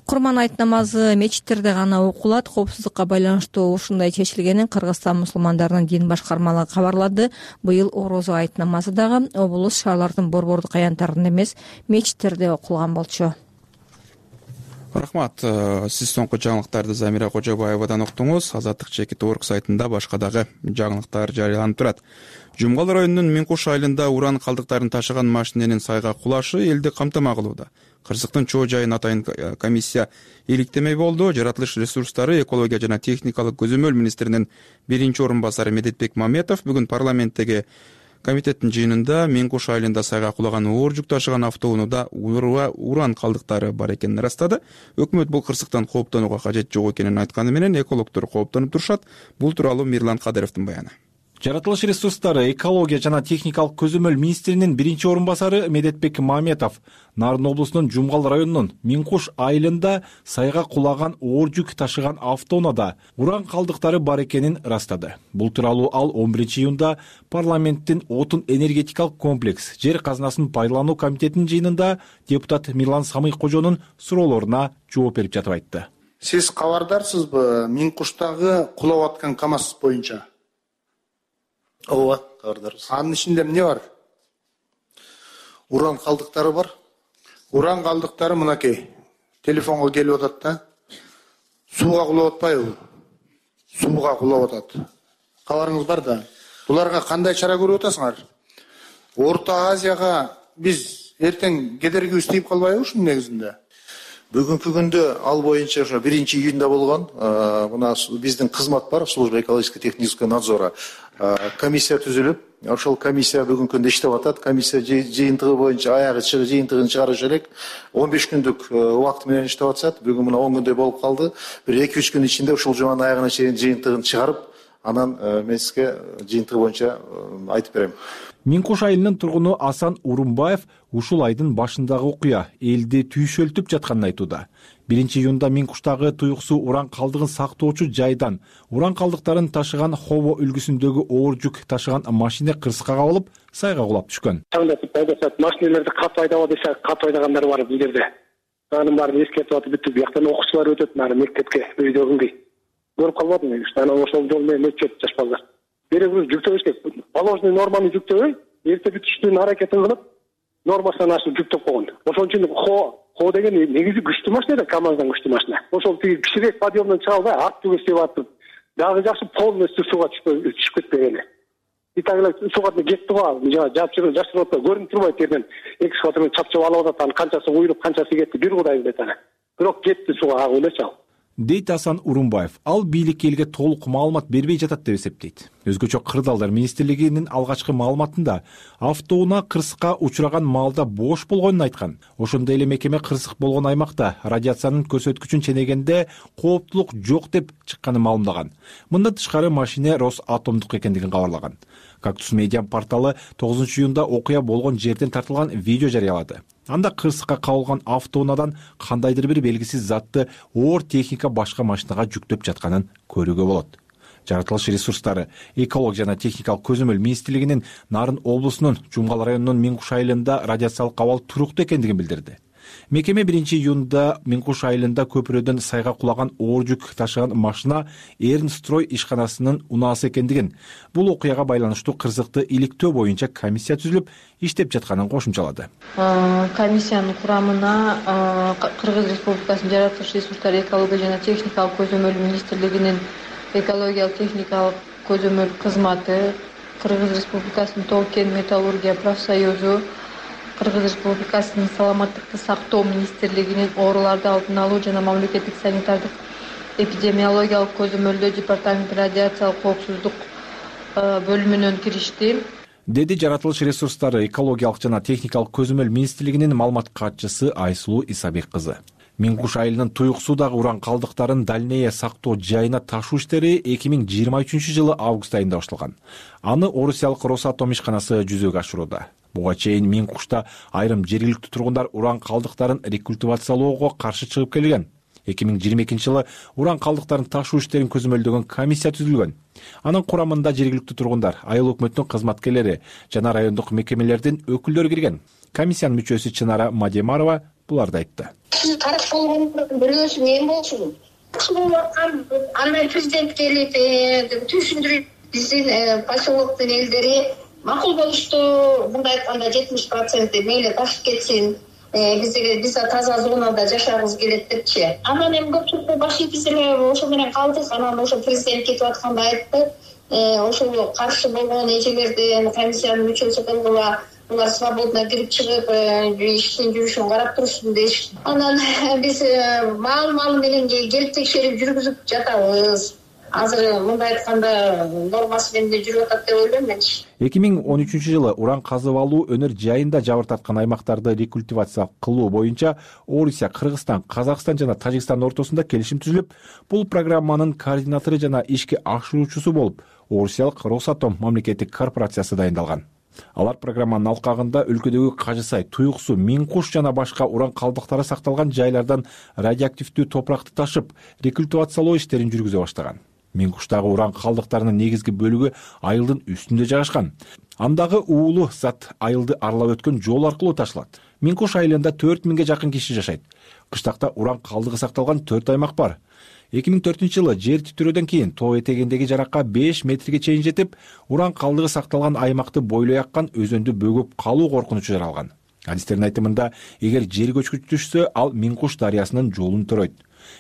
Курман айт намазы мечиттерде гана окулат. Коопсуздукка байланыштуу ушундай чечилгенин Кыргызстан мусулмандарынын дин башкармалыгы кабарлады. Быйыл Орозо айт намазы дагы облус шаарлардын борбордук аянттарында эмес, мечиттерде окулган болчу. Рахмат. Сиз соңку жаңылыктарды Замира Кожобаевадан уктуңуз. Азаттык чекит орг сайтында башка дагы жаңылыктар жарыяланып турат. Жумгал районунун Миңкуш айылында уран калдыктарын ташыган машиненин сайга кулашы элди камтама кылууда. кырсыктын чоо жайын атайын комиссия иликтемей болду. Жаратылыш ресурстары, экология жана техникалык көзөмөл министринин биринчи орун басары Медетбек Маметов бүгүн парламенттеги комитеттин жыйынында Мен Куш айылында сайга кулаган оор жүк ташыган автоунаада уран калдыктары бар экенин ырастады. Өкмөт бул кырсыктан кооптонууга кажет жок экенин айтканы менен экологдор кооптонуп турушат. Бул тууралуу Мирлан Кадыровдун баяны. Жаратылыш ресурстары, экология жана техникалык көзөмөл министринин биринчи орун басары Медетбек Маметов Нарын облусунун Жумгал районунун Мен Куш айылында сайга кулаган оор жүк ташыган автоунаада уран калдыктары бар экенин ырастады. Бул тууралуу ал 11-июнда парламенттин отун энергетикалык комплекс жер казынасын пайдалануу комитетинин жыйынында депутат Мирлан Самый-Кожонун суроолоруна жооп берип жатып айтты. Сиз кабардарсызбы Мен Куштагы кулап аткан КАМАЗ боюнча? Ооба, кабардарбыз. Анын ичинде эмне бар? Уран калдыктары бар. Уран калдыктары мынакей. Телефонго келип атат да. Сууга кулап атпайбы? Сууга кулап атат. Кабарыңыз бар да. Буларга кандай чара көрүп атасыңар? Орто Азияга биз эртең кедергибиз тийип калбайбы ушунун негизинде? Бүгүнкү күндө ал боюнча ошо 1-июнда болгон мына биздин кызмат бар, служба экологическо-технического надзора. Комиссия түзүлүп, ошол комиссия бүгүнкү күндө иштеп атат. Комиссия жыйынтыгы боюнча аягы жыйынтыгын чыгарыш элек 15 күндүк убакыт менен иштеп атышат. Бүгүн мына 10 күндөй болуп калды. Бир 2-3 күн ичинде ушул жуманын аягына чейин жыйынтыгын чыгарып, анан мен сизге жыйынтыгы боюнча айтып берем. Мен Куш айылынын тургуну Асан Урумбаев ушул айдын башындагы окуя элди түйшөлтүп жатканын айтууда. 1-июнда Мен Куштагы туюксуу уран калдыгын сактоочу жайдан уран калдыктарын ташыган Хово үлгүсүндөгү оор жүк ташыган машина кырсыкка кабылып, сайга кулап түшкөн. Машиналерди кат айдаба десе, кат айдагандар бар бул жерде. Анын баарын эскертип атып бүттүк. Бияктан окуучулар өтөт нары мектепке өйдөгүндөй. Көрүп калбадым. Анан ошол жол менен өтүп жаш балдар. Беребиз жүктөбүш керек. Положенный норманы жүктөбөй, эрте бүтүштүн аракетин кылып, нормасынан ашып жүктөп койгон. Ошон үчүн Хо деген негизи күчтүү машина да, КАМАЗдан күчтүү машина. Ошол тиги кичирээк подъемдон чыга албай, артты көздөп атып, дагы жакшы полностью сууга түшүп кетпеген. Итагылар сууга кетти го, жапчырып атпай, көрүнүп турбайт жерден. Экскаватордон чапчып алып атат, анын канчасы уйруп, канчасы кетти, бир кудай билет аны. Бирок кетти сууга, ойлочу ал. Дейт Асан Урумбаев. Ал бийлик элге толук маалымат бербей жатат деп эсептейт. Өзгөчө Кырдаалдар министрлигинин алгачкы маалыматында автоунаа кырсыкка учураган маалда бош болгонун айткан. Ошондой эле мекеме кырсык болгон аймакта радиациянын көрсөткүчүн ченегенде кооптулук жок деп чыкканын маалымдаган. Мындан тышкары машина Росатомдук экендигин кабарлаган. Кактус медиа порталы 9-июнда окуя болгон жерден тартылган видео жарыялады. Анда кырсыкка кабылган автоунаадан кандайдыр бир белгисиз затты оор техника башка машинага жүктөп жатканын көрүүгө болот. Жаратылыш ресурстары, экология жана техникалык көзөмөл министрлигинин Нарын облусунун Жумгал районунун Мен Куш айылында радиациялык абал туруктуу экендигин билдирди. Мекеме 1-июнда Мен Куш айылында көпүрөдөн сайга кулаган оор жүк ташыган машина Эрнстрой ишканасынын унаасы экендигин, бул окуяга байланыштуу кырсыкты иликтөө боюнча комиссия түзүлүп, иштеп жатканын кошумчалады. Комиссиянын курамына Кыргыз Республикасынын Жаратылыш ресурстары, экология жана техникалык көзөмөл министрлигинин экологиялык техникалык көзөмөл кызматы, Кыргыз Республикасынын Тоо-кен металлургия профсоюзу, Кыргыз Республикасынын саламаттыкты сактоо министрлигинин ооруларды алдын алуу жана мамлекеттик санитардык эпидемиологиялык көзөмөлдөө департаменти радиациялык коопсуздук бөлүмүнөн киришти, деди Жаратылыш ресурстары, экологиялык жана техникалык көзөмөл министрлигинин маалымат катчысы Айсулуу Исабек кызы. Мен Куш айылынын туюксуудагы уран калдыктарын дальнее сактоо жайына ташуу иштери 2023-жылы август айында башталган. Аны орусиялык Росатом ишканасы жүзөгө ашырууда. Буга чейин Мен Кушта айрым жергиликтүү тургундар уран калдыктарын рекультивациялоого каршы чыгып келген. 2022-жылы уран калдыктарын ташуу иштерин көзөмөлдөгөн комиссия түзүлгөн. Анын курамында жергиликтүү тургундар, айыл өкмөтүнүн кызматкерлери жана райондук мекемелердин өкүлдөрү кирген. Комиссиянын мүчөсү Чынара Мадемарова буларды айтты. Тарап болгон бирөөсү мен болчу. Болуп аткан андай президент келип түшүндүрүп, биздин поселоктун элдери макул болушту. Мындай айтканда 70% мейли ташып кетсин. Биз таза зонада жашагыбыз келет депчи. Анан эми көпчүлүктү баш ийип эле ошо менен калдык. Анан ошо президент кетип атканда айтты. Ошол каршы болгон эжелердин комиссиянын мүчөсү кылгыла булар свободно кирип чыгып иштин жүрүшүн карап турушсын дейишти. Анан биз маал менен келип текшерип жүргүзүп жатабыз. Азыр мындай айтканда нормасы менен жүрүп атат деп ойлойм мен. 2013-жылы уран казып алуу өнөр жайында жабыр тарткан аймактарды рекультивация кылуу боюнча Орусия, Кыргызстан, Казакстан жана Тажикстан ортосунда келишим түзүлүп, бул программанын координатору жана ишке ашыруучусу болуп орусиялык Росатом мамлекеттик корпорациясы дайындалган. Алар программанын алкагында өлкөдөгү Кажы Сай, Туюк Суу, Миң Куш жана башка уран калдыктары сакталган жайлардан радиоактивдүү топуракты ташып, рекультивациялоо иштерин жүргүзө баштаган. Миң Куштагы уран калдыктарынын негизги бөлүгү айылдын үстүндө жайгашкан. Андагы уулуу зат айылды аралап өткөн жол аркылуу ташылат. Миң Куш айылында 4000-ге жакын киши жашайт. Кыштакта уран калдыгы сакталган 4 аймак бар. 2004-жылы жер титирөөдөн кийин тоо этегиндеги жаракка 5 метрге чейин жетип, уран калдыгы сакталган аймакты бойлой аккан өзөндү бөгөп калуу коркунучу жаралган. Адистердин айтымында, эгер жер көчкүч түшсө, ал Миң Куш дарыясынын жолун төрөйт.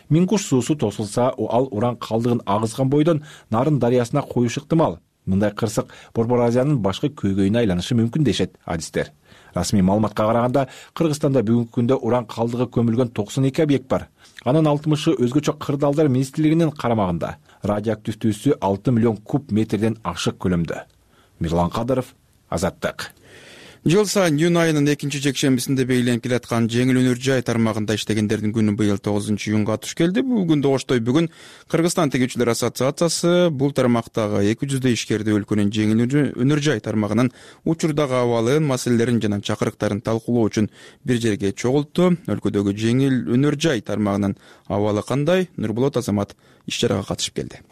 Миң Куш суусу тосулса, ал уран калдыгын агызган бойдон Нарын дарыясына коюшу ыктымал. Мындай кырсык Борбор Азиянын башкы көйгөйүнө айланышы мүмкүн дешет адистер. Расмий маалыматка караганда, Кыргызстанда бүгүнкү күндө уран калдыгы көмүлгөн 92 объект бар. Анын 60-ы өзгөчө кырдаалдар министрлигинин карамагында. Радиоактивдүүсү 6 миллион куб метрден ашык көлөмдө. Мирлан Кадыров, Азаттык. Жыл сайын июнь айынын 2-жекшембисинде белгиленип келаткан жеңил өнөр жай тармагында иштегендердин күнү быйыл 9-июнга туш келди. Бул күндө Оштой бүгүн Кыргызстан тигүүчүлөр ассоциациясы бул тармактагы 200 ишкерди өлкөнүн жеңил өнөр жай тармагынын учурдагы абалын, маселелерин жана чакырыктарын талкуулоо үчүн бир жерге чогултту. Өлкөдөгү жеңил өнөр жай тармагынын абалы кандай? Нурболот Азамат иш чарага катышып келди.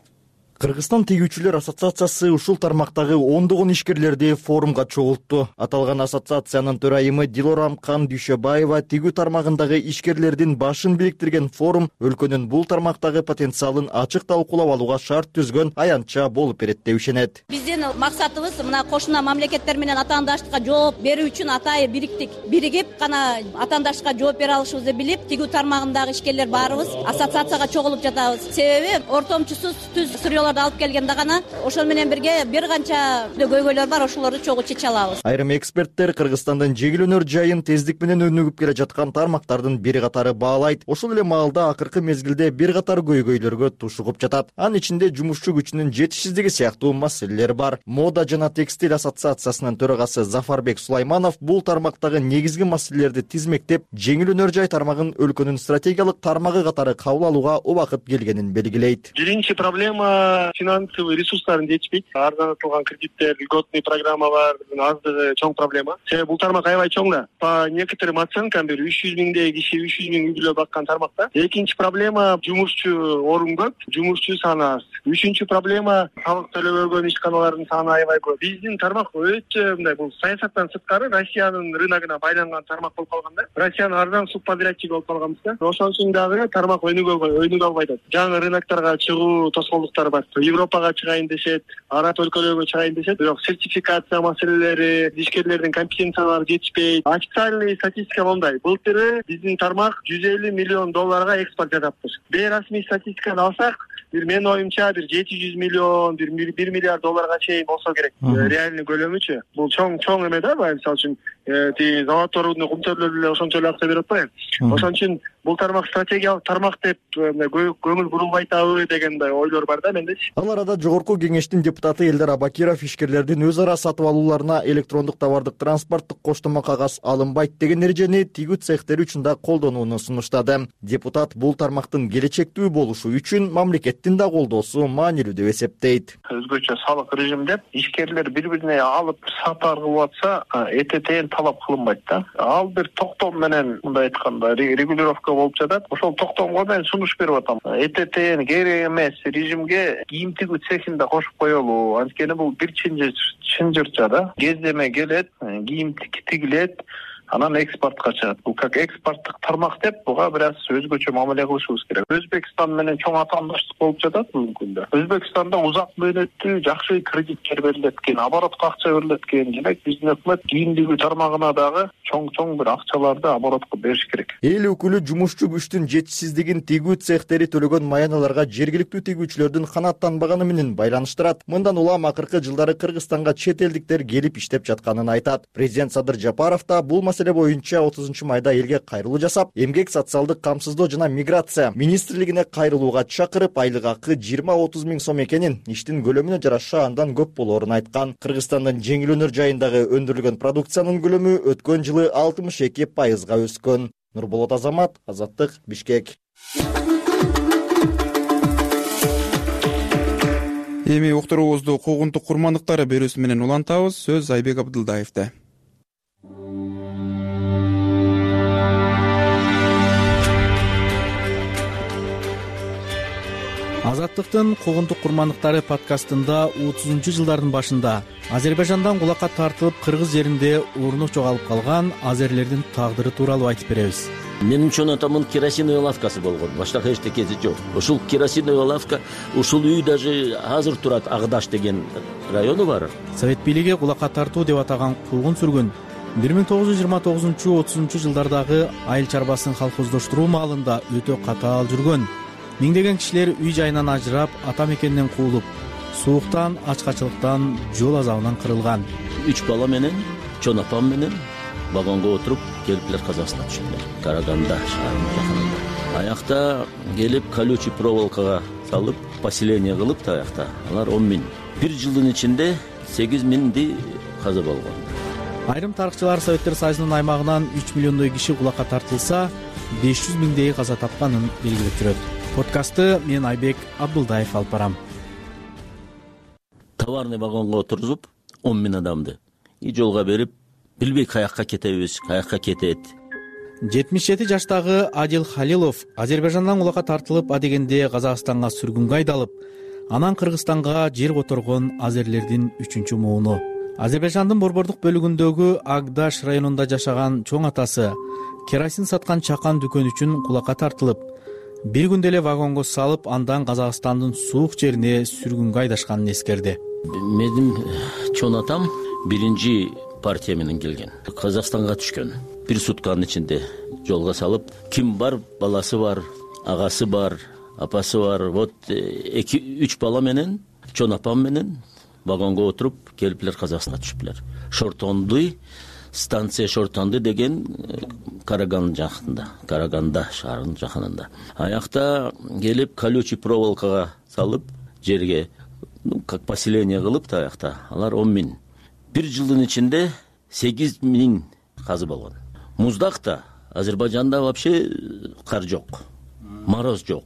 Кыргызстан тигүүчүлөр ассоциациясы ушул тармактагы ондогон ишкерлерди форумга чогултту. Аталган ассоциациянын төрайымы Дилорамкан Дүйшөбаева тигүү тармагындагы ишкерлердин башын бириктирген форум өлкөнүн бул тармактагы потенциалын ачык талкуулап алууга шарт түзгөн аянтча болуп берет деп ишенет. Биздин максатыбыз мына кошуна мамлекеттер менен атаандаштыкка жооп берүү үчүн атайын бириктик. Биригип гана атаандаштыкка жооп бере алышыбызды билип, тигүү тармагындагы ишкерлер баарыбыз ассоциацияга чогулуп жатабыз. Себеби ортомчусуз түз алып келгенде гана ошол менен бирге бир канча көйгөйлөр бар, ошолорду чогуу чече алабыз. Айрым эксперттер Кыргызстандын жеңил өнөр жайын тездик менен өнүгүп келе жаткан тармактардын бири катары баалайт. Ошол эле маалда акыркы мезгилде бир катар көйгөйлөргө тушугуп жатат. Анын ичинде жумушчу күчүнүн жетишсиздиги сыяктуу маселелер бар. Мода жана текстиль ассоциациясынын төрагасы Зафарбек Сулайманов бул тармактагы негизги маселелерди тизмектеп, жеңил өнөр жай тармагын өлкөнүн стратегиялык тармагы катары кабыл алууга убакыт келгенин белгилейт. Биринчи проблема финансовый ресурстарын жетишпейт. Арзанатылган кредиттер, льготный программалар аздыгы чоң проблема. Себеби бул тармак аябай чоң да. По некоторым оценкам 300 миңдей киши 300 миң үй бүлө баккан тармакта. Экинчи проблема жумушчу орун көп, жумушчу саны аз. Үчүнчү проблема салык төлөбөгөн ишканалардын саны аябай көп. Биздин тармак өтө мындай бул саясаттан сырткары Россиянын рыногуна байланган тармак болуп калганда. Россиянын арзан субподрядчиги болуп калганбыз да. Ошон үчүн дагы тармак өнүгө албай атат. Жаңы рынокторго чыгуу тоскоолдуктары бар. Европага чыгайын дешет, араб өлкөлөргө чыгайын дешет, бирок сертификация маселелери, ишкерлердин компетенциялары жетишпейт. Официальный статистика мындай: былтыры биздин тармак $150 миллион экспорт жасаптыр. Бейрасмий статистиканы алсак, менин оюмча 700 миллион, $1 миллиард чейин болсо керек. Реальный көлөмүчү. Бул чоң эме да, мисалы үчүн заводдордун кумтөрлөрү эле ошончо эле акча берип атпайбы. Ошон үчүн бул тармак стратегиялык тармак деп көңүл бурулбай атабы деген ойлор бар да мендечи. Ал арада жогорку кеңештин депутаты Элдар Абакиров ишкерлердин өз ара сатып алууларына электрондук товардык транспорттук коштомо кагаз алынбайт деген эрежени тигүү цехтери үчүн да колдонууну сунуштады. Депутат бул тармактын келечектүү болушу үчүн мамлекеттин да колдоосу маанилүү деп эсептейт. Өзгөчө салык режимде ишкерлер бири-бирине алып сатар кылып атса, этетен талап кылынбайт да. Ал бир токтом менен мындай айтканда регулировка болуп жатат. Ошол токтомго мен сунуш берип атам. Этетен керек эмес режимге кийим тигүү цехин да кошуп коелу. Анткени бул бир чынжырча да. Кездеме келет, кийим тигилет, анан экспортко чыгат. Бул как экспорттук тармак деп буга бир аз өзгөчө мамиле кылышыбыз керек. Өзбекстан менен чоң атаандаштык болуп жатат бүгүнкү күндө. Өзбекстанда узак мөөнөттүү жакшы кредиттер берилет экен, оборотко акча берилет экен. Демек биздин өкмөт кийимдиги тармагына дагы чоң бир акчаларды оборотко бериш керек. Эл өкүлү жумушчу күчтүн жетишсиздигин тигүү цехтери төлөгөн маяналарга жергиликтүү тигүүчүлөрдүн канааттанбаганы менен байланыштырат. Мындан улам акыркы жылдары Кыргызстанга чет элдиктер келип иштеп жатканын айтат. Президент Садыр Жапаров да бул маселе боюнча 30-майда элге кайрылуу жасап, эмгек социалдык камсыздоо жана миграция министрлигине кайрылууга чакырып, айлык акы 20-30 миң сом экенин, иштин көлөмүнө жараша андан көп болоорун айткан. Кыргызстандын жеңил өнөр жайындагы өндүрүлгөн продукциянын көлөмү өткөн жылы 62% өскөн. Нурболот Азамат, Азаттык, Бишкек. Эми уктуруубузду куугунтук курмандыктары берүүсү менен улантабыз. Сөз Айбек Абдылдаевде. Азаттыктын куугунтук курмандыктары подкастында 30-жылдардын башында Азербайжандан кулакка тартылып кыргыз жеринде орнук жоголуп калган азерлердин тагдыры тууралуу айтып беребиз. Менин чоң атамдын керосиновый лавкасы болгон. Башка эчтекеси жок. Ушул керосиновый лавка, ушул үй даже азыр турат. Агдаш деген району бар. Совет бийлиги кулакка тартуу деп атаган куугун сүргүн 1929-30 жылдардагы айыл чарбасын колхоздоштуруу маалында өтө катаал жүргөн. Миңдеген кишилер үй жайынан ажырап, ата мекенинен куулуп, сууктан, ачкачылыктан, жол азабынан кырылган. 3 бала менен, чоң апам менен вагонго отуруп келиптилер, Казакстанга түштүлөр. Караганда шаарынын жакынында. Аякта келип колючий проволокага салып, поселение кылып да аякта. Алар 10 миң. Бир жылдын ичинде 8 миңди каза болгон. Айрым тарыхчылар Советтер Союзунун аймагынан 3 миллиондой киши кулакка тартылса, 500 миңдей каза тапканын белгилеп жүрөт. Подкастты мен Айбек Абдылдаев алып барам. Товарный вагонго отургузуп 10 миң адамды и жолго берип, билбей каякка кетебиз, каякка кетет. 77 жаштагы Адил Халилов Азербайжандан кулакка тартылып, адегенде Казакстанга сүргүнгө айдалып, анан Кыргызстанга жер которгон азерлердин 3-чү мууну. Азербайжандын борбордук бөлүгүндөгү Агдаш районунда жашаган чоң атасы керосин саткан чакан дүкөн үчүн кулакка тартылып, бир күндө эле вагонго салып, андан Казакстандын суук жерине сүргүнгө айдашканын эскерди. Менин чоң атам 1-ci партия менен келген. Казакстанга түшкөн. Бир сутканын ичинде жолго салып, ким бар, баласы бар, агасы бар, апасы бар. Вот 2-3 бала менен, чоң апам менен вагонго отуруп келиптилер, Казакстанга түшүптүлөр. Шортондуй, станция Шортонду деген Караган жакында, Караганда шаарынын жакынында. Аякта келип колючий проволокага салып, жерге как поселение кылып да аякта. Алар 10 миң. Бир жылдын ичинде 8 миң казы болгон. Муздакта Азербайжанда вообще кар жок, мороз жок.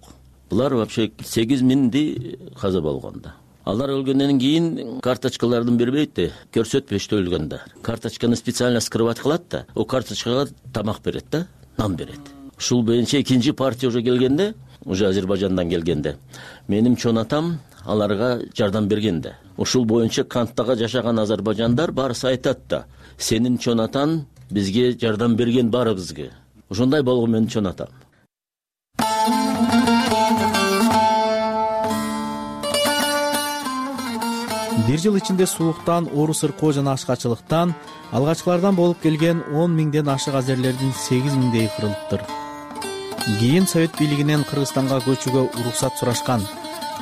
Булар вообще 8 миңди каза болгонда. Алар өлгөндөн кийин карточкалардын бербейт да, көрсөтпөчтө өлгөндө. Карточканы специально скрывать кылат да, о карточкага тамак берет да, нан берет. Ушул боюнча 2-ci партия уже келгенде, уже Азербайжандан келгенде, менин чоң атам аларга жардам бергенде. Ушул боюнча канттага жашаган азербайжандар барысы айтат да, сенин чоң атаң бизге жардам берген баарыбызга. Ошондой болгон менин чоң атам. Бир жыл ичинде сууктан, оору сыркоо жана ачкачылыктан алгачкылардан болуп келген 10 миңден ашык азерлердин 8 миңдей кырылыптыр. Кийин Совет бийлигинен Кыргызстанга көчүүгө уруксат сурашкан.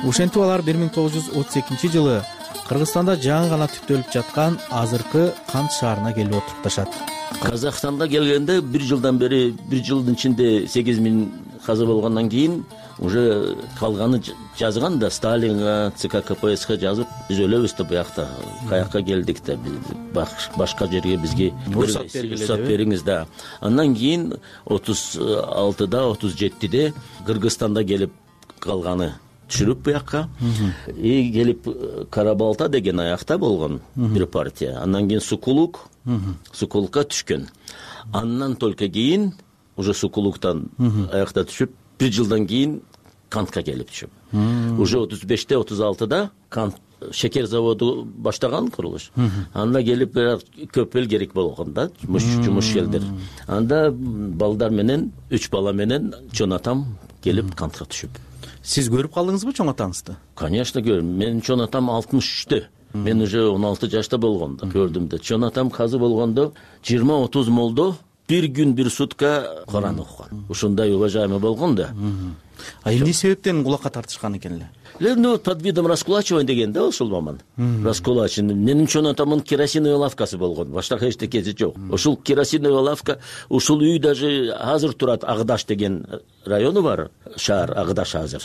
Ошентип алар 1932-жылы Кыргызстанда жаңы гана түптөлүп жаткан азыркы Кант шаарына келип отурупташат. Казакстанда келгенде бир жылдан бери, бир жылдын ичинде 8 миң каза болгондон кийин уже калганы жазган да, Сталинга, ЦК КПСС жазып, биз өлөбүз да буякта, каякка келдик да, башка жерге бизге уруксат бериңиз да. Андан кийин 36-да, 37-де Кыргызстанда келип калганы түшүрүп буякка. И келип Карабалта деген аякта болгон бир партия. Андан кийин Сукулукка түшкөн. Андан только кийин уже Сукулуктан аякта түшүп, бир жылдан кийин Кантка келип түшүп. Уже 35-те, 36-да Кант шекер заводу баштаган курулуш. Анда келип көп эл керек болгон да, жумуш элдер. Анда балдар менен 3 бала менен чоң атам келип кантка түшүп. Сиз көрүп калдыңызбы чоң атаңызды? Конечно көрдүм. Менин чоң атам 63-тө. Мен уже 16 жашта болгондо көрдүм да. Чоң атам казы болгондо 20-30 молдо бир күн бир сутка Куран окуган. Ушундай уважаемый болгон да. А эмне себептен кулакка тартышкан экен эле? Ну, под видом раскулачивания деген да ошол маман. Раскулачивание. Менин чоң атамдын керосиновый лавкасы болгон. Башка эчтекеси жок. Ушул керосиновый лавка, ушул үй даже азыр турат. Агдаш деген району бар, шаар Агдаш азыр.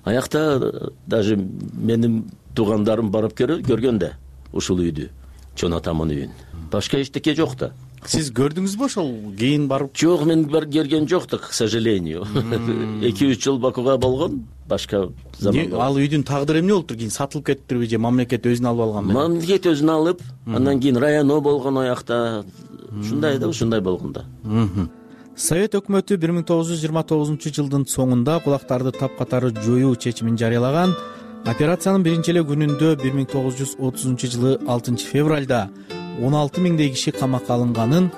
Аякта даже менин туугандарым барып көргөн да ушул үйдү, чоң атамдын үйүн. Башка эчтеке жок да. Сиз көрдүңүзбү ошол кийин барып? Жок, мен көргөн жоктук, к сожалению. 2-3 жыл Бакуга болгон, башка заман. Ал үйдүн тагдыры эмне болуптур? Кийин сатылып кеттирби же мамлекет өзүнө алып алганбы? Мамлекет өзүнө алып, андан кийин районо болгон аякта. Ушундай да, ушундай болгон да. Совет өкмөтү 1929-жылдын соңунда кулактарды тапкатары жоюу чечимин жарыялаган. Операциянын биринчи эле күнүндө 1930-жылы 6 февралда 16 миңдей киши камакка алынганын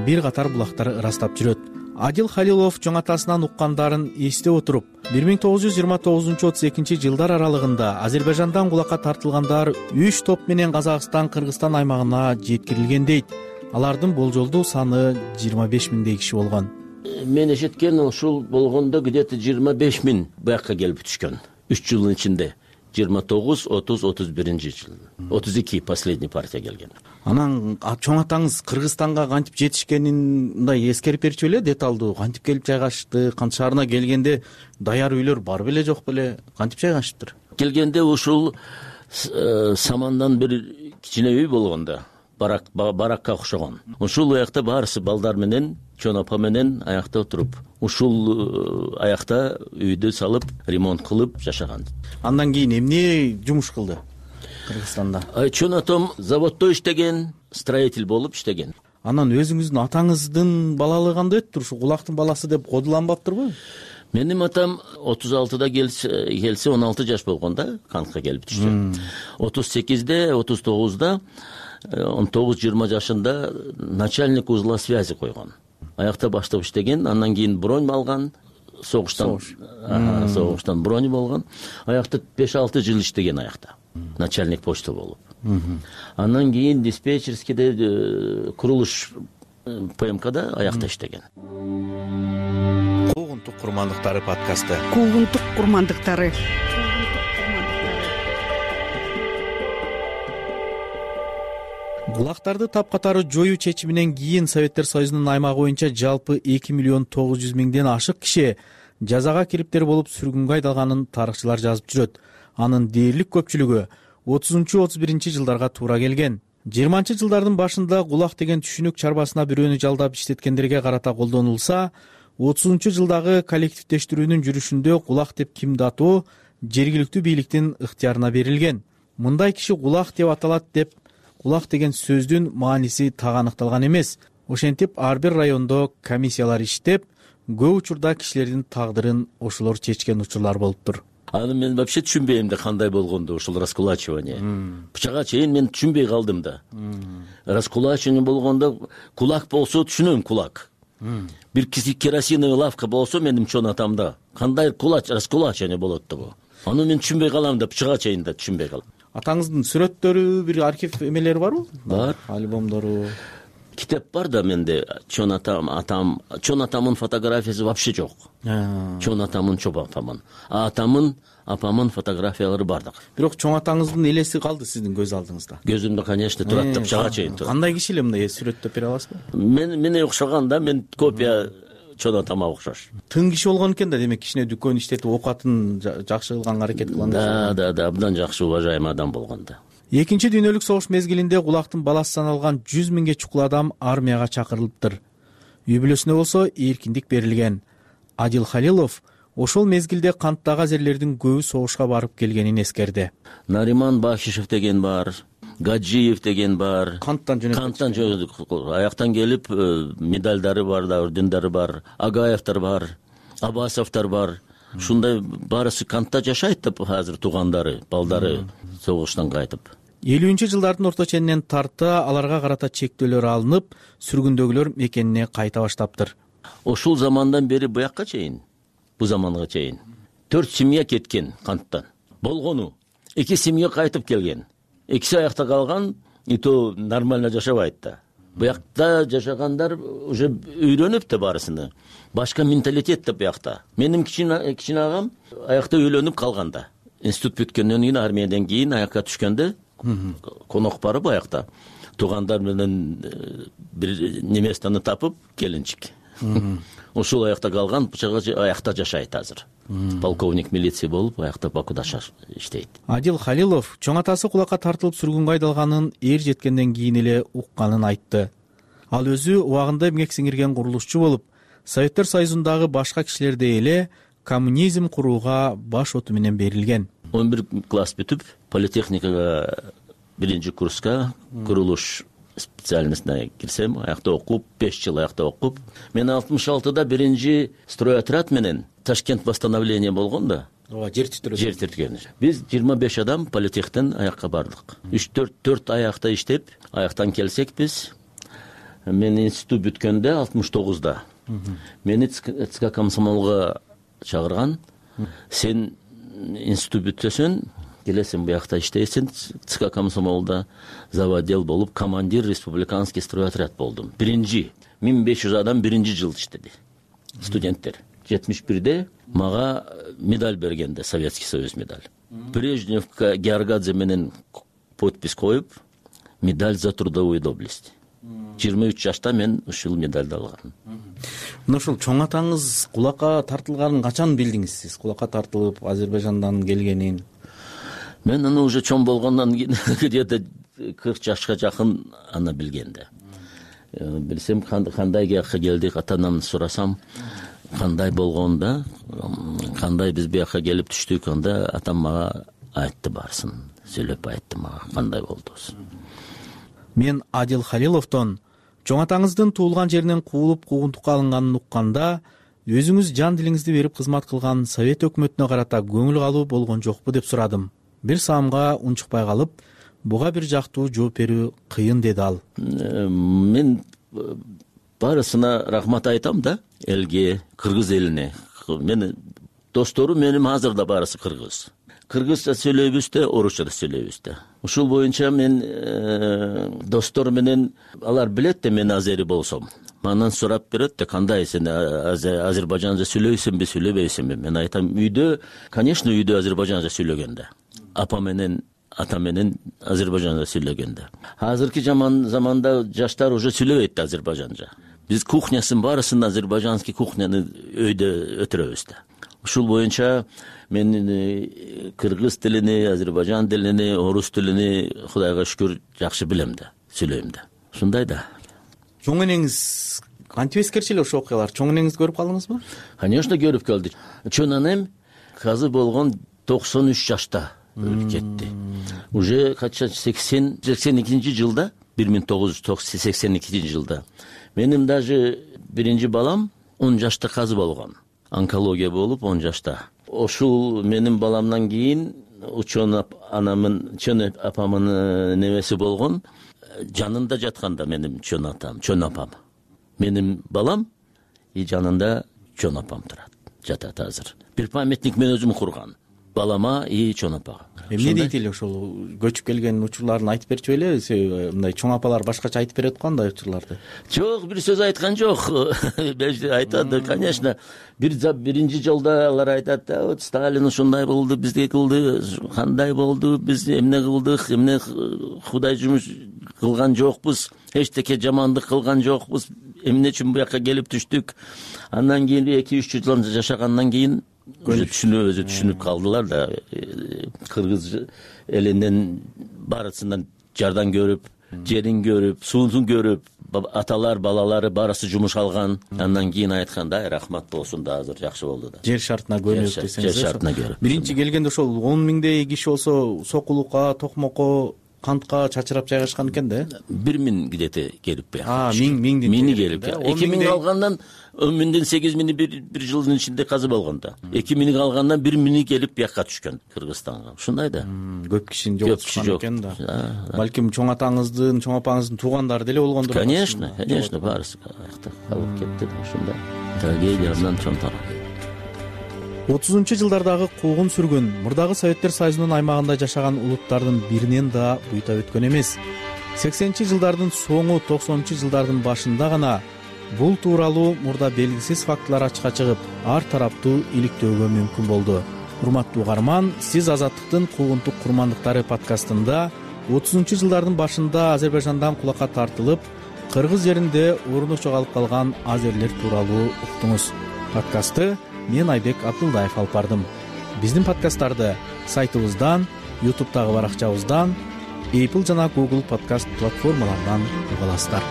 бир катар булактар ырастап жүрөт. Адил Халилов чоң атасынан уккандарын эстеп отуруп, 1929-32 жылдар аралыгында Азербайжандан кулакка тартылгандар 3 топ менен Казакстан, Кыргызстан аймагына жеткирилген дейт. Алардын болжолдуу саны 25 миңдей киши болгон. Мен эшеткен ушул болгондо где-то 25 миң буякка келип түшкөн. 3 жылдын ичинде 29, 30, 31-жыл. 32 последний партия келген. Анан чоң атаңыз Кыргызстанга кантип жетишкенин мындай эскерип берчү беле, деталдуу кантип келип жайгашты, кант шаарына келгенде даяр үйлөр бар беле жок беле, кантип жайгашыптыр? Келгенде ушул самандан бир кичине үй болгон да, баракка окшогон. Ушул аякта баарысы балдар менен, чоң апа менен аякта отуруп, ушул аякта үйдү салып, ремонт кылып жашаган. Андан кийин эмне жумуш кылды Кыргызстанда? Чоң атам заводдо иштеген, строитель болуп иштеген. Анан өзүңүздүн атаңыздын балалыгы кандай өттүр? Ушу кулактын баласы деп кодуланбаптырбы? Менин атам 36-да келсе 16 жаш болгон да, кантка келип түштү. 38-де, 39-да 19-20 жашында начальник узла связи койгон. Аякта баштап иштеген, андан кийин бронь алган, согуштан бронь болгон. Аякта 5-6 жыл иштеген аякта. Начальник почта болуп. Андан кийин диспетчерскийде курулуш ПМКда аякта иштеген. Куугунтук курмандыктары подкасты. Куугунтук курмандыктары. Кулактарды тапкатары жоюу чечиминен кийин Советтер Союзунун аймагы боюнча жалпы 2.900.000ден ашык киши жазага кириптер болуп сүргүнгө айдалганын тарыхчылар жазып жүрөт. Анын дээрлик көпчүлүгү 30-31 жылдарга туура келген. 20-жылдардын башында кулак деген түшүнүк чарбасына бирөөнү жалдап иштеткендерге карата колдонулса, 30-жылдагы коллективдештирүүнүн жүрүшүндө кулак деп кимди атоо жергиликтүү бийликтин ыктыярына берилген. Мындай киши кулак деп аталат деп кулак деген сөздүн мааниси так аныкталган эмес. Ошентип ар бир райондо комиссиялар иштеп, көп учурда кишилердин тагдырын ошолор чечкен учурлар болуптур. Аны мен вообще түшүнбөйм да кандай болгондо ушул раскулачивание. Бычага чейин мен түшүнбөй калдым да. Раскулачивание болгондо кулак болсо түшүнөм, кулак. Бир киси керосиновый лавка болсо менин чоң атамда кандай раскулачивание болот да бу. Аны мен түшүнбөй калам да, бычага чейин да түшүнбөй калам. Атаңыздын сүрөттөрү, бир архив эмелери барбы? Бар. Альбомдору. Китеп бар да менде. Чоң атамдын фотографиясы вообще жок. Чоң атамдын, чоң апамдын. Атамдын, апамдын фотографиялары бардык. Бирок чоң атаңыздын элеси калды сиздин көз алдыңызда. Көзүмдө, конечно, турат да, бычага чейин турат. Кандай киши эле мындай сүрөттөп бере аласызбы? Мене окшогон да, мен копия чоң атама окшош. Тың киши болгон экен да, демек кичине дүкөн иштетип окуатын жакшы кылганга аракет кылган. Да, абдан жакшы уважаемый адам болгон да. Экинчи дүйнөлүк согуш мезгилинде кулактын баласы саналган 100 миңге чукул адам армияга чакырылыптыр. Үй бүлөсүнө болсо эркиндик берилген. Адил Халилов ошол мезгилде канттагы азерлердин көбү согушка барып келгенин эскерди. Нариман Бахишев деген бар, Гаджиев деген бар. Канттан жөнөдүк. Аяктан келип медалдары бар да, ордендери бар. Агаевтер бар, Абасовтар бар. ушундай баарысы кантта жашайт деп азыр туугандары, балдары согуштан кайтып. 50-жылдардын орто ченинен тарта аларга карата чектөөлөр алынып, сүргүндөгүлөр мекенине кайта баштаптыр. Ошол замандан бери буякка чейин, бу заманга чейин 4 семья кеткен канттан. Болгону 2 семья кайтып келген. Экиси аякта калган, и то нормально жашабайт да. Буякта жашагандар уже үйрөнүп да баарысыны. Башка менталитет да буякта. Менин кичине агам аякта үйлөнүп калган да. Институт бүткөндөн кийин, армиядан кийин аякка түшкөндө конок барып аякта туугандар менен бир неместаны тапып келинчик. Ошол аякта калган, аякта жашайт азыр. Полковник милиция болуп, аякта Бакуда иштейт. Адил Халилов чоң атасы кулакка тартылып сүргүнгө айдалганын эр жеткенден кийин эле укканын айтты. Ал өзү убагында эмгек сиңирген курулушчу болуп, Советтер Союзундагы башка кишилердей эле коммунизм курууга баш оту менен берилген. 11 класс бүтүп, политехникага 1-курска курулуш специальностьна кирсем, аякта окуп, 5 жыл аякта окуп, мен 66-да 1 стройотряд менен Ташкент восстановление болгон да. Жер тирткөн. Биз 25 адам политехтен аякка бардык. 3-4 аякта иштеп, аяктан келсек биз, мен институт бүткөндө 69-да. Мени ЦК комсомолго чакырган. Сен институт бүтөсөң, келесиң буякта иштейсиң, ЦК комсомолда заводел болуп, командир республиканский стройотряд болдум. 1500 адам 1-жыл иштеди. Студенттер. 71-де мага медаль бергенде, Советский Союз медаль. Брежневка Георгадзе менен подпись коюп, медаль за трудовую доблесть. 23 жашта мен ушул медальды алгам. Ушул чоң атаңыз кулакка тартылганын качан билдиңиз сиз? Кулакка тартылып Азербайжандан келгенин? Мен аны уже чоң болгондон кийин где-то 40 жашка жакын аны билгенде. Билсем кандай буякка келдик, ата-анамды сурасам, кандай болгонда, кандай биз буякка келип түштүк, анда атам мага айтты баарысын, сүйлөп айтты мага кандай болдубуз. Мен Адил Халиловдон чоң атаңыздын туулган жеринен куулуп куугунтукка алынганын укканда, өзүңүз жан дилиңизди берип кызмат кылган Совет өкмөтүнө карата көңүл калуу болгон жокпу деп сурадым. Бир саамга унчукпай калып, буга бир жактуу жооп берүү кыйын деди ал. Мен баарысына рахмат айтам да, элге, кыргыз элине. Мени достору менин азыр да баарысы кыргыз. Кыргызча сүйлөйбүз да, орусча да сүйлөйбүз да. Ушул боюнча мен достор менен, алар билет да мен азери болсом. Мандан сурап берет да, кандай сен азербайжанча сүйлөйсүңбү, сүйлөбөйсүңбү? Мен айтам, үйдө, конечно, үйдө азербайжанча сүйлөгөн да. Апа менен, ата менен азербайжанча сүйлөгөн да. Азыркы заманда жаштар уже сүйлөбөйт да азербайжанча. Биз кухнясын баарысын азербайжанский кухняны өйдө өтүрөбүз да. Ушул боюнча мен кыргыз тилини, азербайжан тилини, орус тилини Кудайга шүкүр жакшы билем да, сүйлөйм да. Ушундай да. Чоң энеңиз кантип эскерчү эле ошол окуялар? Чоң энеңизди көрүп калдыңызбы? Конечно, көрүп калдым. Чоң энем казы болгон 93 жашта кетти. Уже кача 82 жылда, 1982 жылда. Менин даже 1 балам 10 жашта казы болгон. Онкология болуп 10 жашта. Ошол менин баламдан кийин чоң апамын небеси болгон, жанында жатканда менин чоң апам. Менин балам и жанында чоң апам турат, жатат азыр. Бир памятник мен өзүм курган. Балама и чоң апага. Эмне дейт эле ошол көчүп келген учурларын айтып берчү эле? Мындай чоң апалар башкача айтып берет го андай учурларды. Жок, бир сөз айткан жок. Айтат, конечно. Биринчи жолдо алар айтат, вот Сталин ушундай болду, бизге кылды, кандай болду, биз эмне кылдык, эмне Кудай жумуш кылган жокпуз, эчтеке жамандык кылган жокпуз, эмне үчүн буякка келип түштүк. Андан кийин 2-3 жыл жашагандан кийин түшүнүп калдылар да. Кыргыз элинен баарысынан жардам көрүп, жерин көрүп, суун көрүп, аталар, балалары баарысы жумуш алган. Андан кийин айтканда, рахмат болсун да, азыр жакшы болду да. Жер шартына көнүп десеңиз. Жер шартына көрүп. Биринчи келгенде ошол 10 миңдей киши болсо, сокулукка, токмокко кантка чачырап жайгашкан экен да. 1000 где то келип бияка. Миңди келип. 2000 калгандан 1000ден 8000 бир жылдын ичинде казып алган да. 2000 калгандан 1000 келип бияка түшкөн Кыргызстанга. Ушундай да. Көп кишини жоготкон экен да. Балким чоң атаңыздын, чоң апаңыздын туугандары деле болгондур. Конечно, баарысы калып кетти. Ушундай трагедиядан чоң тарап. 30-жылдардагы куугун сүргүн мурдагы Советтер Союзунун аймагында жашаган улуттардын биринен да буйта өткөн эмес. 80-жылдардын соңу 90-жылдардын башында гана бул тууралуу мурда белгисиз фактылар ачыкка чыгып, ар тараптуу иликтөөгө мүмкүн болду. Урматтуу угарман, сиз Азаттыктын Куугунтук курмандыктары подкастында 30-жылдардын башында Азербайжандан кулакка тартылып, кыргыз жеринде орну жоголуп калган азерлер тууралуу уктуңуз. Подкастты мен Айбек Абдулдаев алып бардым. Биздин подкасттарды сайтыбыздан, YouTube'дагы баракчабыздан, Apple жана Google подкаст платформаларынан уга аласыздар.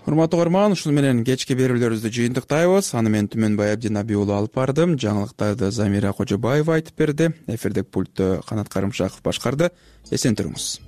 Урматтуу угарман, ушуну менен кечки берүүлөрүбүздү жыйынтыктайбыз. Аны мен Түмөнбай Абдинабий уулу алып бардым. Жаңылыктарды Замира Кожобаева айтып берди. Эфирдик пультту Канат Карымшаков башкарды. Эсен туруңуз.